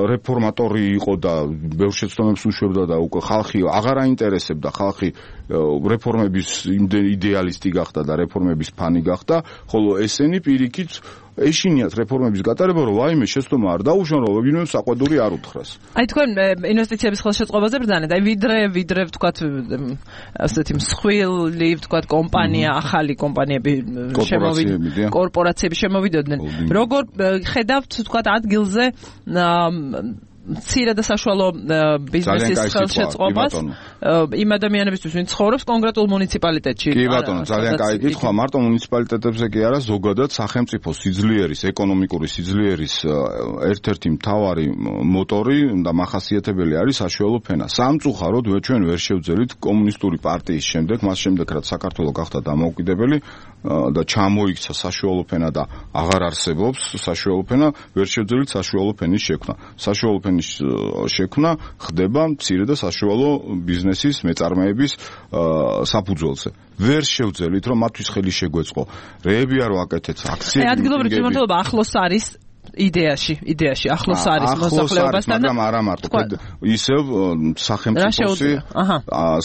რეფორმატორი იყო და ბევრ შეცდომებს უშვებდა და უკვე ხალხი აღარ აინტერესებდა, ხალხი რეფორმების იდეალისტი გახდა და რეფორმების ფანი გახდა, ხოლო ესენი პირიქით ეშინიათ რეფორმების გატარება, რომ ვაიმე შეცდომა არ დაუშვან, რომ ვინმე საყვედური არ უთხრას. აი თქვენ ინვესტიციების ხელშეწყობაზე ბრძანეთ, აი ვიდრე ვიდრე ვთქვათ ასეთი მსხვილი ვთქვათ კომპანია, ახალი კომპანიები შემოვიდნენ, კორპორაციები შემოვიდოდნენ. როგორ ხედავთ ვთქვათ ადგილზე მცირე და საშუალო ბიზნესის ხელშეწყობას იმ ადამიანებისთვის, ვინც ცხოვრობს კონკრეტულ მუნიციპალიტეტში? კი ბატონო, ძალიან კაი კითხვა. მარტო მუნიციპალიტეტებზე კი არა, ზოგადად სახელმწიფო სიძლიერის, ეკონომიკური სიძლიერის ერთ-ერთი მთავარი მოტორი და მახასიათებელი არის საშუალო ფენა. სამწუხაროდ ჩვენ ვერ შევძელით კომუნისტური პარტიის შემდეგ, მას შემდეგ რაც საქართველო გახდა დამოუკიდებელი და ჩამოიქცა საშუალო ფენა და აღარ არსებობს საშუალო ფენა, ვერ შევძელით საშუალო ფენის შექმნა. საშუალო ფენის შექმნა ხდება მცირე და საშუალო ბიზნესის მეწარმეების საფუძველზე. ვერ შევძელით რომ მათთვის ხელი შეგვეწყო. რეები არ ვაკეთეთ, აქციები. აი ადგილობრივი თვითმმართველობა ახლოს არის იდეაში, იდეაში ახლოს არის მოსახლეობასთან, მაგრამ არა მარტო, ისევ სახელმწიფოსი,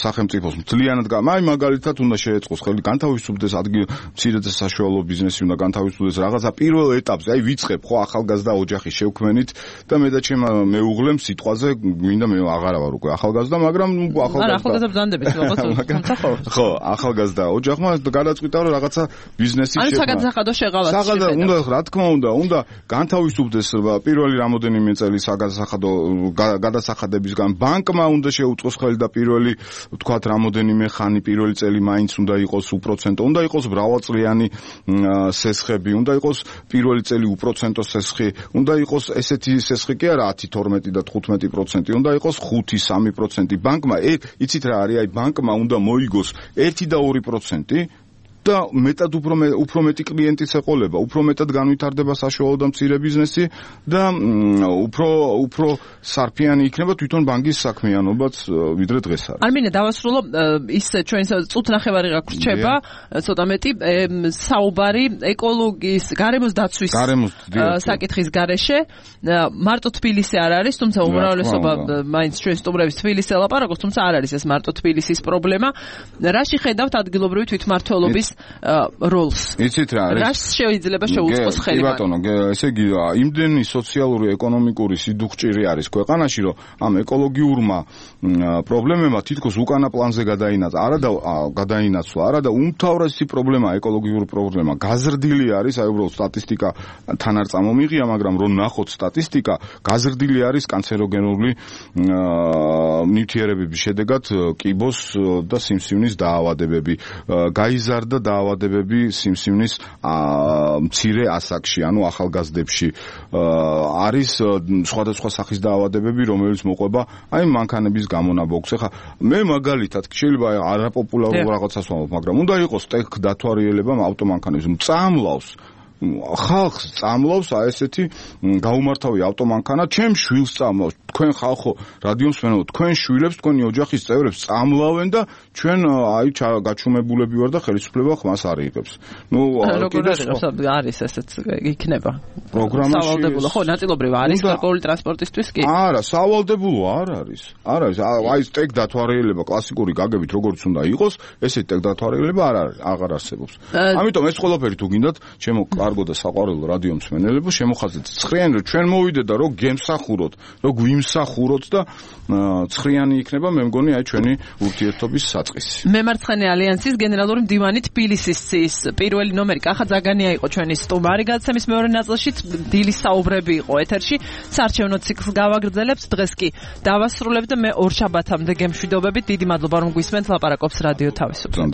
სახელმწიფოს მთლიანად, აი მაგალითად უნდა შეეწყოს ხელი, განთავისუფლდეს ადგილ მცირე და საშუალო ბიზნესი, უნდა განთავისუფლდეს რაღაცა პირველ ეტაპზე, აი ვიწყებ ხო ახალგაზრდა ოჯახი შევქმენით და მე და ჩემ მეუღლემ სიტყვაზე მინდა მე აღარა ვარ უკვე ახალგაზრდა, მაგრამ ახალგაზრდა არა ახალგაზრდა ბრძანდებით რაღაცა ხო, ახალგაზრდა ოჯახმა გადაწყვიტა რომ რაღაცა ბიზნესი შექმნა. ანუ საგადასახადო შეღავას შეხედა. უნდა რა თქმა უნდა, უნდა განთავისუფლდეს პირველი რამოდენიმე წელი საგადასახადო გადასახადებისგან, ბანკმა უნდა შეუწყოს ხელი და პირველი ვთქვათ რამოდენიმე ხანი პირველი წელი მაინც უნდა იყოს უპროცენტო, უნდა იყოს მრავალწლიანი სესხები, უნდა იყოს პირველი წელი უპროცენტო სესხი, უნდა იყოს ესეთი სესხი კი არა ათი, თორმეტი და თხუთმეტი პროცენტი, უნდა იყოს ხუთი, სამი პროცენტი. ბანკმა იცით რა არის, აი ბანკმა უნდა მოიგოს ერთი და ორი პროცენტი და მეტად უფრო უფრო მეტი კლიენტის ეყოლება, უფრო მეტად განვითარდება საშუალო და მცირე ბიზნესი და უფრო უფრო სარფიანი იქნება თვითონ ბანკის საქმიანობაც ვიდრე დღეს არის. არ მინდა დავასრულო ის ჩვენ წუთ ნახევარი გაგვრჩება, ცოტა მეტი საუბარი ეკოლოგიის, გარემოს დაცვის საკითხის გარეშე. მარტო თბილისი არ არის, თუმცა უმრავლესობა მაინც ჩვენ სტუმრების თბილისს ელაპარაკობს, თუმცა არ არის ეს მარტო თბილისის პრობლემა. რაში ხედავთ ადგილობრივი თვითმმართველობის როლს? იცით რა არის? რას შეიძლება შეუწყოს ხელი? კი ბატონო, ესე იგი იმდენი სოციალური ეკონომიკური სიდუხჭირი არის ქვეყანაში, რომ ამ ეკოლოგიურმა პრობლემებმა თითქოს უკანა პლანზე გადაინაცვლა, არა და გადაინაცვლა, არა და უმთავრესი პრობლემა ეკოლოგიური პრობლემა გაზრდილი არის, აი უბრალოდ სტატისტიკა თან არ წამომიღია, მაგრამ რომ ნახოთ სტატისტიკა, გაზრდილი არის კანცეროგენული ნივთიერებების შედეგად კიბოს და სიმსივნის დაავადებები, გაიზარდა დაავადებები სიმსივნის მცირე ასაკში, ანუ ახალგაზრდებში. არის სხვადასხვა სახის დაავადებები, რომელიც მოყვება აი მანქანების გამონაბოქს. ახლა მე მაგალითად შეიძლება არაპოპულარულ რაღაცას ვამბობ, მაგრამ უნდა იყოს ტექ დათვალიერება ავტომანქანების მწამლავს. ხალხს წამლავს აი ესეთი გაუმართავი ავტომანქანა, ჩემ შვილს წამლავს. თქვენ ხალხო რადიოს მენო, თქვენ შვილებს, თქვენი ოჯახის წევრებს წამლავენ და ჩვენ აი გაჩუმებულები ვარ და ხელისუფლება ხმას არ იღებს. ნუ როგორ არის ესეც იქნება პროგრამაში სავალდებულო ხო ნაწილობრივ არის გარკვეული ტრანსპორტისთვის კი არა სავალდებულო არ არის არ არის აი სტეკ დათვალიერება კლასიკური გაგებით როგორც უნდა იყოს ესეთი სტეკ დათვალიერება არ არის აღარ არსებობს ამიტომ ეს ყველაფერი თუ გინდათ ჩემო კარგო და საყვარელო რადიო მსმენელებო შემოხაზეთ ცხრიანი რომ ჩვენ მოვიდეთ და რო გემსახუროთ რო გვიმსახუროთ და ცხრიანი იქნება მე მგონი აი ჩვენი ურთიერთობის საწყისი მემარცხენე ალიანსის გენერალური მდივანი თბილისის ცის პირველი ნომერი კახა ზაგანია იყო ჩვენი სტუმარი გადაცემის მეორე ნაწილშიც დილის საუბრები იყო ეთერში საარჩევნო ციკლს გავაგრძელებთ დღეს კი დავასრულებთ და მე ორ შაბათამდე გემშვიდობებით დიდი მადლობა რომ გვისმენთ ლაპარაკობს რადიო თავისუფლება